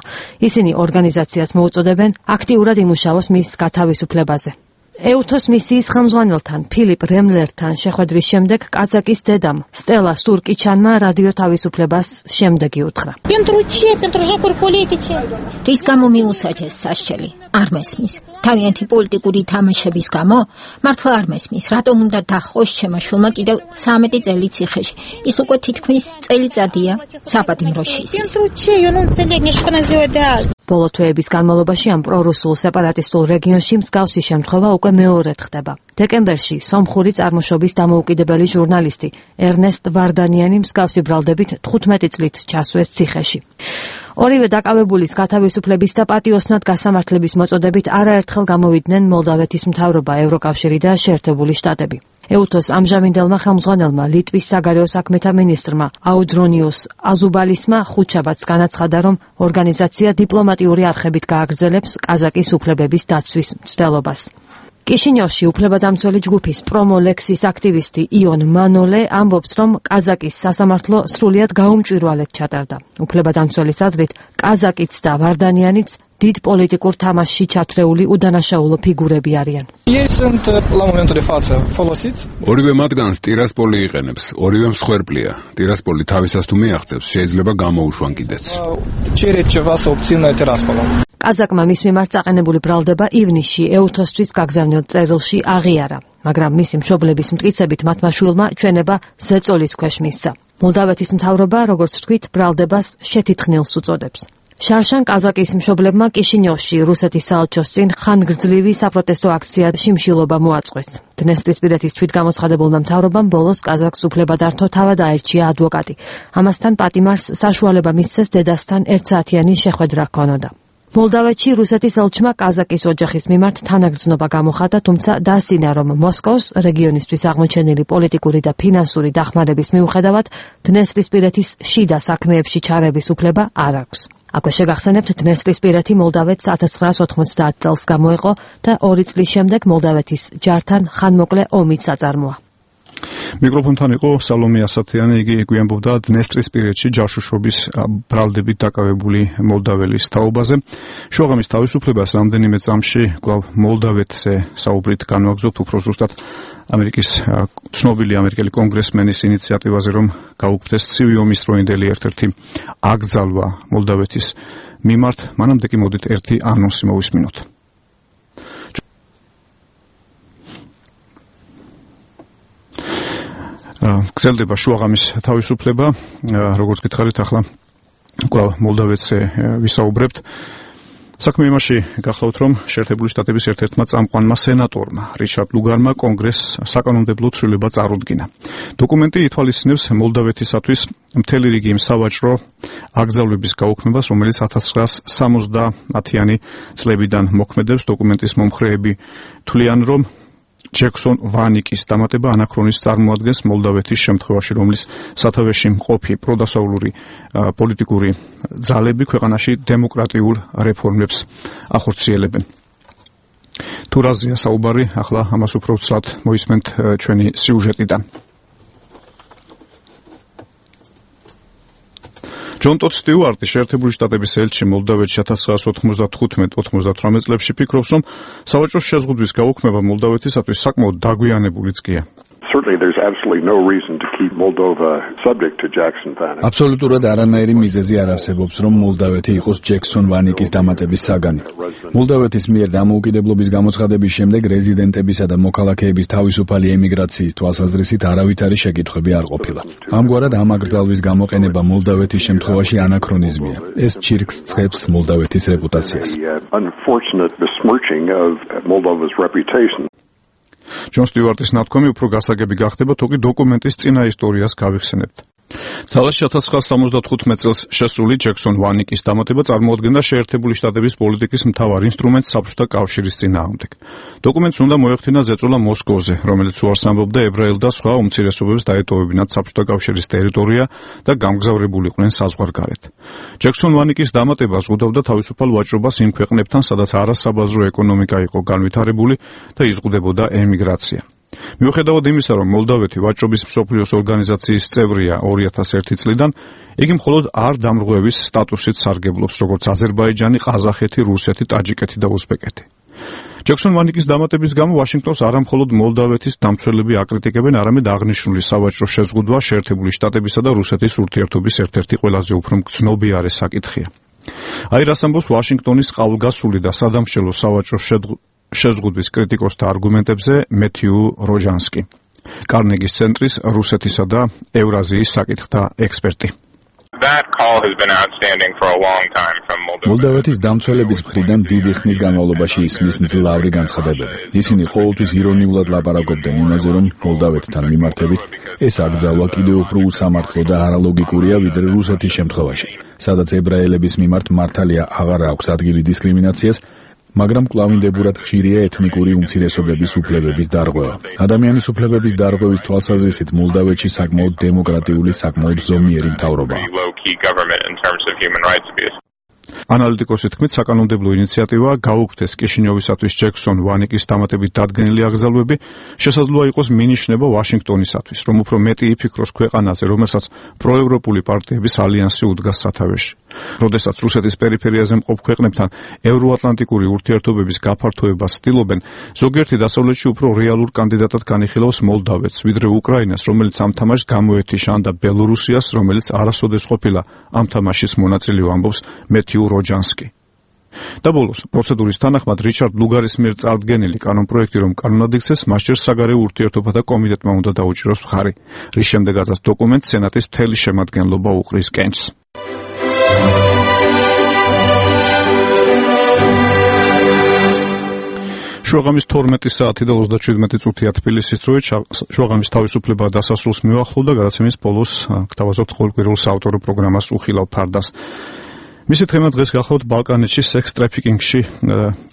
S9: ისინი ორგანიზაციას მოუწოდებენ აქტიურად იმუშაოს მის გათავისუფლებაზე. ეუთოს მისიის ხელმძღვანელთან ფილიპ რემლერთან შეხვედრის შემდეგ კაზაკის დედამ სტელა სურკიჩანმა რადიო თავისუფლებას შემდეგი უთხრა.
S10: რის გამო მიუსაჯეს სასჯელი? არ მესმის. თავიანთი პოლიტიკური თამაშების გამო? მართლა არ მესმის. რატომ უნდა დახოს ჩემო შვილმა კიდევ 13 წელი ციხეში? ის უკვე თითქმის წელიწადია საპატიმროში ისის.
S9: ბოლო თვეების განმავლობაში ამ პრორუსულ სეპარატისტულ რეგიონში მსგავსი შემთხვევა უკვე მეორედ ხდება. დეკემბერში სომხური წარმოშობის დამოუკიდებელი ჟურნალისტი ერნესტ ვარდანიანი მსგავსი ბრალდებით 15 წლით ჩასვეს ციხეში. ორივე დაკავებულის გათავისუფლების და პატიოსნად გასამართლების მოწოდებით არაერთხელ გამოვიდნენ მოლდავეთის მთავრობა, ევროკავშირი და შეერთებული შტატები. ეუთოს ამჟამინდელმა ხელმძღვანელმა ლიტვის საგარეო საქმეთა მინისტრმა აუდრონიუს აზუბალისმა ხუთშაბათს განაცხადა, რომ ორგანიზაცია დიპლომატიური არხებით გააგრძელებს კაზაკის უფლებების დაცვის მცდელობას. კიშინიოვში უფლებადამცველი ჯგუფის პრომოლექსის აქტივისტი იონ მანოლე ამბობს, რომ კაზაკის სასამართლო სრულიად გაუმჭვირვალედ ჩატარდა. უფლებადამცველის აზრით, კაზაკიც და ვარდანიანიც დიდ პოლიტიკურ თამაშში ჩათრეული უდანაშაულო ფიგურები არიან.
S11: ორივე მათგანს ტირასპოლი იყენებს, ორივე მსხვერპლია. ტირასპოლი თავისას თუ მიაღწევს, შეიძლება გამოუშვან კიდეც.
S9: კაზაკმა მის მიმართ წაყენებული ბრალდება ივნისში ეუთოსთვის გაგზავნილ წერილში აღიარა, მაგრამ მისი მშობლების მტკიცებით მათმა შვილმა ჩვენება ზეწოლის ქვეშ მისცა. მოლდავეთის მთავრობა, როგორც თქვით, ბრალდებას შეთითხნილს უწოდებს. შარშან კაზაკის მშობლებმა კიშინიოვში რუსეთის საელჩოს წინ ხანგრძლივი საპროტესტო აქცია შიმშილობა მოაწყვეს. დნესტრისპირეთის თვითგამოცხადებულმა მთავრობამ ბოლოს კაზაკს უფლებადართო თავად აერჩია ადვოკატი. ამასთან პატიმარს საშუალება მისცეს დედასთან ერთსაათიანი შეხვედრა ჰქონოდა. მოლდავეთში რუსეთის ელჩმა კაზაკის ოჯახის მიმართ თანაგრძნობა გამოხატა, თუმცა დაასინა, რომ მოსკოვს რეგიონისთვის აღმოჩენილი პოლიტიკური და ფინანსური დახმარების მიუხედავად დნესტრისპირეთის შიდა საქმეებში ჩარევის უფლება არ აქვს. აქვე შეგახსენებთ, დნესტრისპირეთი მოლდავეთს 1990 წელს გამოეყო და 2 წლის შემდეგ მოლდავეთის ჯართან ხანმოკლე ომიც აწარმოა.
S1: მიკროფონთან იყო სალომე ასათიანი, იგი გვიამბობდა დნესტრისპირეთში ჯაშუშობის ბრალდებით დაკავებული მოლდაველის თაობაზე. შუაღამის თავისუფლებას რამდენიმე წამში კვლავ მოლდავეთზე საუბრით განვაგრძობთ, უფრო ზუსტად ამერიკის ცნობილი ამერიკელი კონგრესმენის ინიციატივაზე, რომ გაუქმდეს ცივი ომის დროინდელი ერთ-ერთი აკრძალვა მოლდავეთის მიმართ. მანამდე კი მოდით ერთი ანონსი მოვისმინოთ. გრძელდება შუაღამის თავისუფლება, როგორც გითხარით, ახლა კვლავ მოლდავეთზე ვისაუბრებთ. საქმე იმაში გახლავთ, რომ შეერთებული შტატების ერთ-ერთმა წამყვანმა სენატორმა რიჩარდ ლუგარმა კონგრესს საკანონმდებლო ცვლილება წარუდგინა. დოკუმენტი ითვალისწინებს მოლდავეთისათვის მთელი რიგი იმ სავაჭრო აკრძალვების გაუქმებას, რომელიც 1970-იანი წლებიდან მოქმედებს. დოკუმენტის მომხრეები თვლიან, რომ ჯექსონ ვანიკის დამატება ანაქრონის წარმოადგენს მოლდავეთის შემთხვევაში, რომლის სათავეში მყოფი პროდასავლური პოლიტიკური ძალები ქვეყანაში დემოკრატიულ რეფორმებს ახორციელებენ. თუ რაზეა საუბარი, ახლა ამას უფრო ცალად მოისმენთ ჩვენი სიუჟეტიდან. ჯონ ტოდ სტიუარტი, შეერთებული შტატების ელჩი მოლდავეთში 1995-98 წლებში ფიქრობს, რომ სავაჭრო შეზღუდვის გაუქმება მოლდავეთისათვის საკმაოდ დაგვიანებულიც გია.
S8: Certainly there's absolutely no reason to keep Moldova subject to Jackson Vanik.
S2: Აბსოლუტურად არანაირი მიზეზი არ არსებობს, რომ მოლდავეთი იყოს ჯექსონ ვანიკის დამატების საგანი. მოლდავეთის მიერ დამოუკიდებლობის გამოცხადების შემდეგ რეზიდენტებისა და მოქალაქეების თავისუფალი ემიგრაციის თვალსაზრისით არავითარი შეკითხვები არ ყოფილა. ამგვარად ამ აკრძალვის გამოყენება მოლდავეთის შემთხვევაში ანაქრონიზმია. ეს ჩირკს ცხებს მოლდავეთის რეპუტაციას.
S8: Unfortunate besmirching of Moldova's reputation.
S1: ჯონ სტიუარტის ნათქვამი უფრო გასაგები გახდება, თუკი დოკუმენტის წინა ისტორიას გავიხსენებთ. ძალაში 1975 წელს შესული ჯექსონ ვანიკის დამატება წარმოადგენდა შეერთებული შტატების პოლიტიკის მთავარ ინსტრუმენტს საბჭოთა კავშირის წინააღმდეგ. დოკუმენტს უნდა მოეხდინა ზეწოლა მოსკოვზე, რომელიც უარს ამბობდა ებრაელ და სხვა უმცირესობებს დაეტოვებინათ საბჭოთა კავშირის ტერიტორია და გამგზავრებულიყვნენ საზღვარგარეთ. ჯექსონ ვანიკის დამატება ზღუდავდა თავისუფალ ვაჭრობას იმ ქვეყნებთან, სადაც არასაბაზრო ეკონომიკა იყო განვითარებული და იზღუდებოდა ემიგრაცია. მიუხედავად იმისა, რომ მოლდავეთი ვაჭრობის მსოფლიოს ორგანიზაციის წევრია 2001 წლიდან, იგი მხოლოდ არ დამრღვევის სტატუსით სარგებლობს, როგორც აზერბაიჯანი, ყაზახეთი, რუსეთი, ტაჯიკეთი და უზბეკეთი. ჯექსონ ვანიკის დამატების გამო ვაშინგტონს არა მხოლოდ მოლდავეთის დამცველები აკრიტიკებენ, არამედ აღნიშნული სავაჭრო შეზღუდვა შეერთებული შტატებისა და რუსეთის ურთიერთობის ერთ-ერთი ყველაზე უფრო მგრძნობიარე საკითხია. აი რას ამბობს ვაშინგტონის ყალგასული და სადამშრალო სავაჭრო შეზღუდვის კრიტიკოსთა არგუმენტებზე მეთიუ როჟანსკი, კარნეგის ცენტრის რუსეთისა და ევრაზიის საკითხთა ექსპერტი.
S2: მოლდავეთის დამცველების მხრიდან დიდი ხნის განმავლობაში ისმის მძლავრი განცხადებები. ისინი ყოველთვის ირონიულად ლაპარაკობდნენ იმაზე, რომ მოლდავეთთან მიმართებით ეს აკრძალვა კიდევ უფრო უსამართლო და არალოგიკურია, ვიდრე რუსეთის შემთხვევაში, სადაც ებრაელების მიმართ მართალია აღარ აქვს ადგილი დისკრიმინაციას, მაგრამ კვლავინდებურად ხშირია ეთნიკური უმცირესობების უფლებების დარღვევა. ადამიანის უფლებების დარღვევის თვალსაზრისით მოლდავეთში საკმაოდ დემოკრატიული, საკმაოდ ზომიერი მთავრობაა.
S1: ანალიტიკოსის თქმით, საკანონმდებლო ინიციატივა გაუქმდეს კიშინიოვისათვის ჯექსონ ვანიკის დამატებით დადგენილი აკრძალვები, შესაძლოა იყოს მინიშნება ვაშინგტონისათვის, რომ უფრო მეტი იფიქროს ქვეყანაზე, რომელსაც პროევროპული პარტიების ალიანსი უდგას სათავეში. როდესაც რუსეთის პერიფერიაზე მყოფ ქვეყნებთან ევროატლანტიკური ურთიერთობების გაფართოებას ცდილობენ, ზოგიერთი დასავლეთში უფრო რეალურ კანდიდატად განიხილავს მოლდავეთს, ვიდრე უკრაინას, რომელიც ამ თამაშს გამოეთიშა, და ბელორუსიას, რომელიც არასოდეს ყოფილა ამ თამაშის მონაწილე, ამბობს მეთიუ როჯანსკი. და ბოლოს, პროცედურის თანახმად რიჩარდ ლუგარის მიერ წარდგენილი კანონპროექტი რომ კანონად იქცეს, მასჯერ საგარეო ურთიერთობათა კომიტეტმა უნდა დაუჭიროს მხარი, რის შემდეგაც დოკუმენტს სენატის მთელი შემადგენლობა უყრის კენჭს. შუაღამის 12 საათი და 37 წუთია თბილისის დროით, შუაღამის თავისუფლება დასასრულს მიუახლოვდა, გადაცემის ბოლოს გთავაზობთ ყოველკვირეულ საავტორო პროგრამას უხილავ ფარდას. მისი თემა დღეს გახლავთ ბალკანეთში სექს ტრაფიკინგში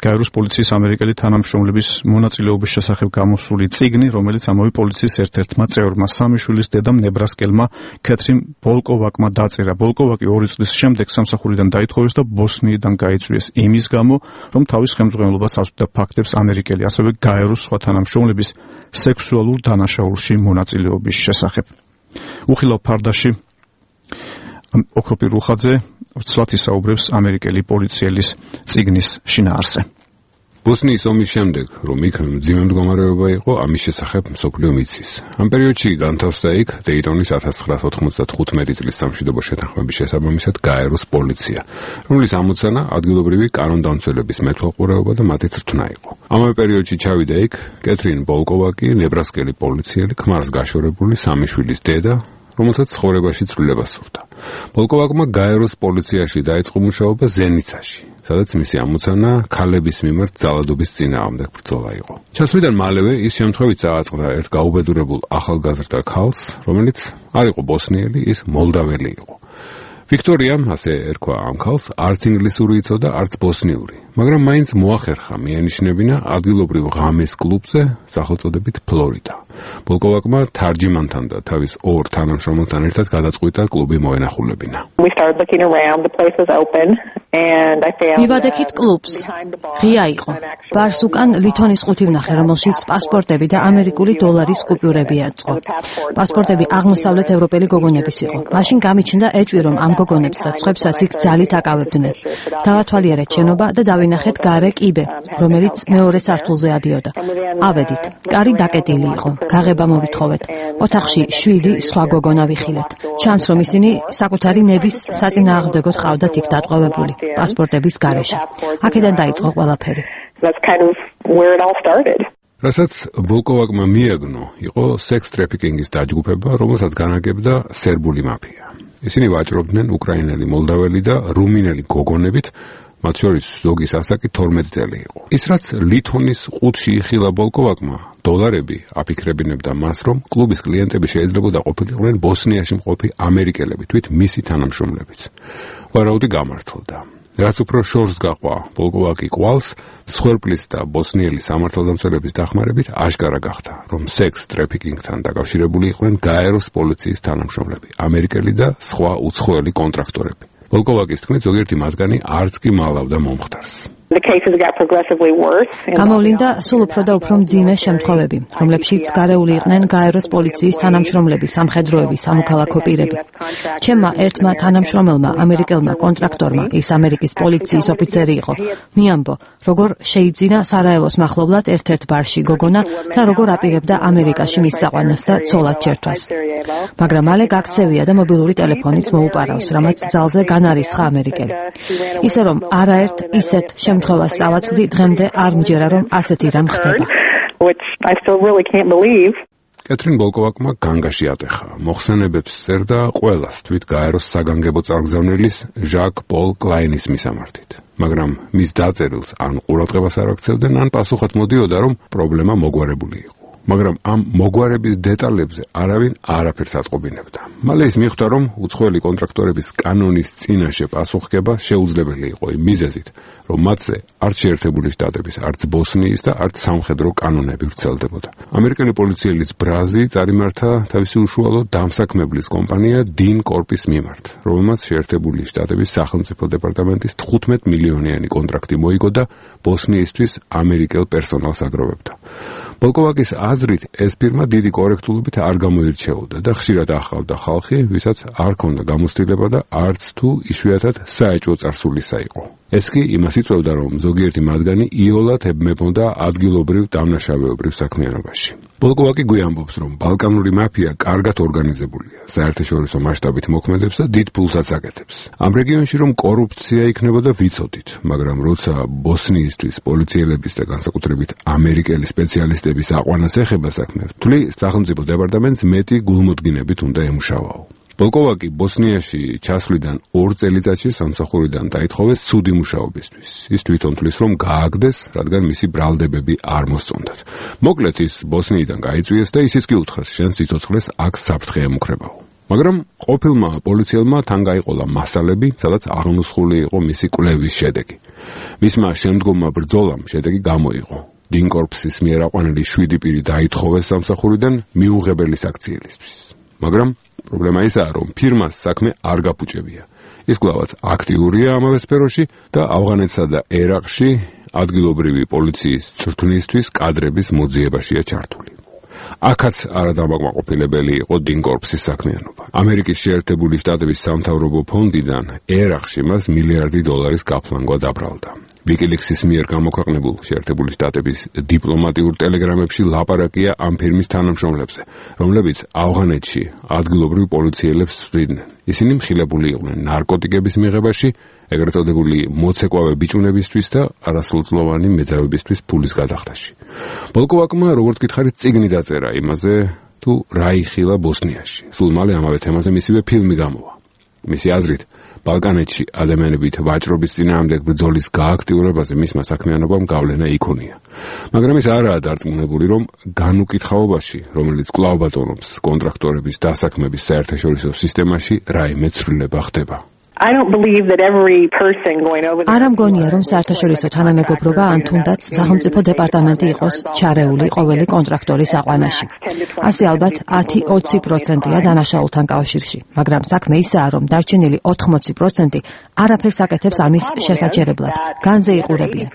S1: გაეროს პოლიციის ამერიკელი თანამშრომლების მონაწილეობის შესახებ გამოსული წიგნი, რომელიც ამავე პოლიციის ერთ-ერთმა წევრმა, სამი შვილის დედამ ნებრასკელმა კეთრინ ბოლკოვაკმა დაწერა. ბოლკოვაკი 2 წლის შემდეგ სამსახურიდან დაითხოვეს და ბოსნიიდან გაიწვიეს იმის გამო, რომ თავის ხელმძღვანელობას აწვდიდა ფაქტებს ამერიკელი, ასევე გაეროს სხვა თანამშრომლების სექსუალურ დანაშაულში მონაწილეობის შესახებ. უხილავ ფარდაში ოქროპი რუხაძე ცვლად ისაუბრებს ამერიკელი პოლიციელის წიგნის შინაარსზე.
S11: ბოსნიის ომის შემდეგ, რომ იქ მძიმე მდგომარეობა იყო, ამის შესახებ მსოფლიო მიცის. ამ პერიოდში განთავსდა იქ დეიტონის 1995 წლის სამშვიდობო შეთანხმების შესაბამისად გაეროს პოლიცია, რომლის ამოცანა ადგილობრივი კანონდამცველების მეთვალყურეობა და მათი წვრთნა იყო. ამავე პერიოდში ჩავიდა იქ კეთრინ ბოლკოვაკი, ნებრასკელი პოლიციელი, ქმარს გაშორებული სამი შვილის დედა, რომელსაც ცხოვრებაში ცვლილება სურდა. ბოლკოვაკმა გაეროს პოლიციაში დაიწყო მუშაობა ზენიცაში, სადაც მისი ამოცანა ქალების მიმართ ძალადობის წინააღმდეგ ბრძოლა იყო. ჩასვლიდან მალევე ის შემთხვევით წააწყდა ერთ გაუბედურებულ ახალგაზრდა ქალს, რომელიც არ იყო ბოსნიელი, ის მოლდაველი იყო. ვიქტორიამ, ასე ერქვა ამ ქალს, არც ინგლისური იცოდა, არც ბოსნიური, მაგრამ მაინც მოახერხა მიანიშნებინა ადგილობრივ ღამეს კლუბზე სახელწოდებით ფლორიდა. ბოლკოვაკმა თარჯიმანთან და თავის ორ თანამშრომელთან ერთად გადაწყვიტა კლუბი მოენახულებინა.
S9: მივადექით კლუბს. ღია იყო. ბარს უკან ლითონის ყუთი ვნახე, რომელშიც პასპორტები და ამერიკული დოლარის კუპიურები აწყო. პასპორტები აღმოსავლეთ ევროპელი გოგონების იყო. მაშინ გამიჩნდა ეჭვი, რომ ამ გოგონებსაც ხვებსაც იქ ძალით აკავებდნენ. დავათვალიერეთ შენობა და დავინახეთ გარე კიბე, რომელიც მეორე სართულზე ადიოდა. ავედით. კარი დაკეტილი იყო. გაღება მოვითხოვეთ. ოთახში 7 სხვა გოგონა ვიხილეთ. ჩანს, რომ ისინი საკუთარი ნების საწინააღმდეგოდ ყავდათ იქ დატყვევებული პასპორტების გარეშე. აქედან დაიწყო ყველაფერი.
S11: რასაც ბოლკოვაკმა მიაგნო, იყო სექს ტრაფიკინგის დაჯგუფება, რომელსაც განაგებდა სერბული მაფია. ისინი ვაჭრობდნენ უკრაინელი, მოლდაველი და რუმინელი გოგონებით, მათ შორის ზოგის ასაკი 12 წელი იყო. ის რაც ლითონის ყუთში იხილა ბოლკოვაკმა, დოლარები აფიქრებინებდა მას, რომ კლუბის კლიენტები შეიძლებოდა ყოფილიყვნენ ბოსნიაში მყოფი ამერიკელები, თვით მისი თანამშრომლებიც. ვარაუდი გამართლდა. რაც უფრო შორს გაყვა ბოლკოვაკი კვალს, მსხვერპლის და ბოსნიელი სამართალდამცველების დახმარებით აშკარა გახდა, რომ სექს ტრაფიკინგთან დაკავშირებული იყვნენ გაეროს პოლიციის თანამშრომლები, ამერიკელი და სხვა უცხოელი კონტრაქტორები. ბოლკოვაკის თქმით, ზოგიერთი მათგანი არც კი მალავდა მომხდარს.
S9: გამოვლინდა სულ უფრო და უფრო მძიმე შემთხვევები, რომლებშიც გარეული იყვნენ გაეროს პოლიციის თანამშრომლები, სამხედროები, სამოქალაქო პირები. ჩემმა ერთმა თანამშრომელმა ამერიკელმა კონტრაქტორმა, ის ამერიკის პოლიციის ოფიცერი იყო, მიამბო, როგორ შეიძინა სარაევოს მახლობლად ერთ-ერთ ბარში გოგონა და როგორ აპირებდა ამერიკაში მის წაყვანას და ცოლად ჩერთვას. მაგრამ მალე გაქცევია და მობილური ტელეფონიც მოუპარავს, რამაც ძალზე განარისხა ამერიკელი. ისე რომ არაერთ ისეთ შემთხვევას წავაწყდი, დღემდე არ მჯერა, რომ ასეთი რამ ხდება.
S11: კეთრინ ბოლკოვაკმა განგაში ატეხა. მოხსენებებს წერდა ყველას, თვით გაეროს საგანგებო წარგზავნილის ჟაკ პოლ კლაინის მისამართით. მაგრამ მის დაწერილს ან ყურადღებას არ აქცევდნენ, ან პასუხად მოდიოდა, რომ პრობლემა მოგვარებული იყო. მაგრამ ამ მოგვარების დეტალებზე არავინ არაფერს ატყობინებდა. მალე ის მიხვდა, რომ უცხოელი კონტრაქტორების კანონის წინაშე პასუხგება შეუძლებელი იყო იმ მიზეზით, რომ მათზე არც შეერთებული შტატების, არც ბოსნიის და არც სამხედრო კანონები ვრცელდებოდა. ამერიკელი პოლიციელის ბრაზი წარიმართა თავისი უშუალო დამსაქმებლის კომპანია 딘 კორპის მიმართ, რომელმაც შეერთებული შტატების სახელმწიფო დეპარტამენტის 15 მილიონიანი კონტრაქტი მოიგო და ბოსნიისთვის ამერიკელ პერსონალს აგროვებდა. ბოლკოვაკის აზრით, ეს ფირმა დიდი კორექტულობით არ გამოირჩეოდა და ხშირად ახავდა ხალხი, ვისაც არ ჰქონდა გამოცდილება და არც თუ იშვიათად საეჭვო წარსულისა იყო. ეს კი იმას იწვევდა, რომ ზოგიერთი მათგანი იოლად ებმებოდა ადგილობრივ დამნაშავეობრივ საქმიანობაში. ბოლკოვაკი გვიამბობს, რომ ბალკანური მაფია კარგად ორგანიზებულია, საერთაშორისო მასშტაბით მოქმედებს და დიდ ფულსაც აკეთებს. ამ რეგიონში რომ კორუფცია იქნებოდა ვიცოდით, მაგრამ როცა ბოსნიისთვის პოლიციელების და განსაკუთრებით ამერიკელი სპეციალისტების აყვანას ეხება საქმე, თვლი სახელმწიფო დეპარტამენტს მეტი გულმოდგინებით უნდა ემუშავაო. ბოლკოვაკი ბოსნიაში ჩასვლიდან 2 წელიწადში სამსახურიდან დაითხოვეს ცუდი მუშაობისთვის. ის თვითონ თვლის, რომ გააგდეს, რადგან მისი ბრალდებები არ მოსწონდათ. მოკლედ ის ბოსნიიდან გაიწვიეს და ისიც კი უთხრეს, შენ სიცოცხლეს აქ საფრთხე ემუქრებაო. მაგრამ ყოფილმა პოლიციელმა თან გაიყოლა მასალები, სადაც აღნუსხული იყო მისი კვლევის შედეგი. მისმა შემდგომმა ბრძოლამ შედეგი გამოიღო. 딘 კორპსის მიერ აყვანილი 7 პირი დაითხოვეს სამსახურიდან მიუღებელი საქციელისთვის. მაგრამ პრობლემა ისაა, რომ ფირმას საქმე არ გაფუჭებია. ის კვლავაც აქტიურია ამავე სფეროში და ავღანეთსა და ერაყში ადგილობრივი პოლიციის წვრთნისთვის კადრების მოძიებაშია ჩართული. აქაც არადამაკმაყოფილებელი იყო 딘 კორპსის საქმიანობა. ამერიკის შეერთებული შტატების სამთავრობო ფონდიდან ერაყში მას $1 მილიარდი გაფლანგვა დაბრალდა. ვიკილიქსის მიერ გამოქვეყნებულ შეერთებული შტატების დიპლომატიურ ტელეგრამებში ლაპარაკია ამ ფირმის თანამშრომლებზე, რომლებიც ავღანეთში ადგილობრივ პოლიციელებს სწვდიდნენ. ისინი მხილებული იყვნენ ნარკოტიკების მიღებაში, ეგრეთ წოდებული მოცეკვავე ბიჭუნებისთვის და არასრულწლოვანი მეძავებისთვის ფულის გადახდაში. ბოლკოვაკმა, როგორც გითხარით, წიგნი დაწერა იმაზე, თუ რა იხილა ბოსნიაში. სულ მალე ამავე თემაზე მისივე ფილმი გამოვა. მისი აზრით, ბალკანეთში ადამიანებით ვაჭრობის წინააღმდეგ ბრძოლის გააქტიურებაზე მისმა საქმიანობამ გავლენა იქონია. მაგრამ ის არაა დარწმუნებული, რომ განუკითხაობაში, რომელიც კვლავ ბატონობს კონტრაქტორების დასაქმების საერთაშორისო სისტემაში, რაიმე ცვლილება ხდება.
S9: არ ამგონია, რომ საერთაშორისო თანამეგობრობა ან თუნდაც სახელმწიფო დეპარტამენტი იყოს ჩარეული ყოველი კონტრაქტორის აყვანაში. ასე ალბათ 10-20%-ია დანაშაულთან კავშირში, მაგრამ საქმე ისაა, რომ დარჩენილი 80% არაფერს აკეთებს ამის შესაჩერებლად, განზე იყურებიან.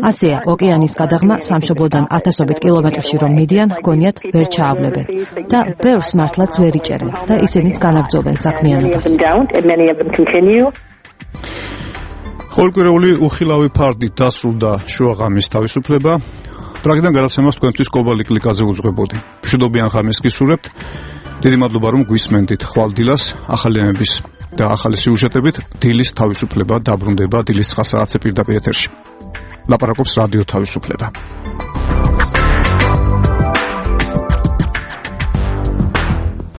S9: ასეა, ოკეანის გადაღმა სამშობლოდან 1000-ობით კილომეტრში რომ მიდიან, გონიათ ვერ ჩაავლებენ და ბევრს მართლაც ვერ იჭერენ და ისინიც განაგრძობენ საქმიანობას.
S1: ყოველკვირეული უხილავი ფარდით დასრულდა შუაღამის თავისუფლება. პრაგიდან გადაცემას თქვენთვის კობალი კლიკაზე უძღვებოდი. მშვიდობიან ღამეს გისურვებთ. დიდი მადლობა რომ გვისმენდით. ხვალ დილას ახალიანების და ახალი სიუჟეტებით დილის თავისუფლება დაბრუნდება დილის 9 საათზე პირდაპირ ეთერში. ლაპარაკობს რადიო თავისუფლება.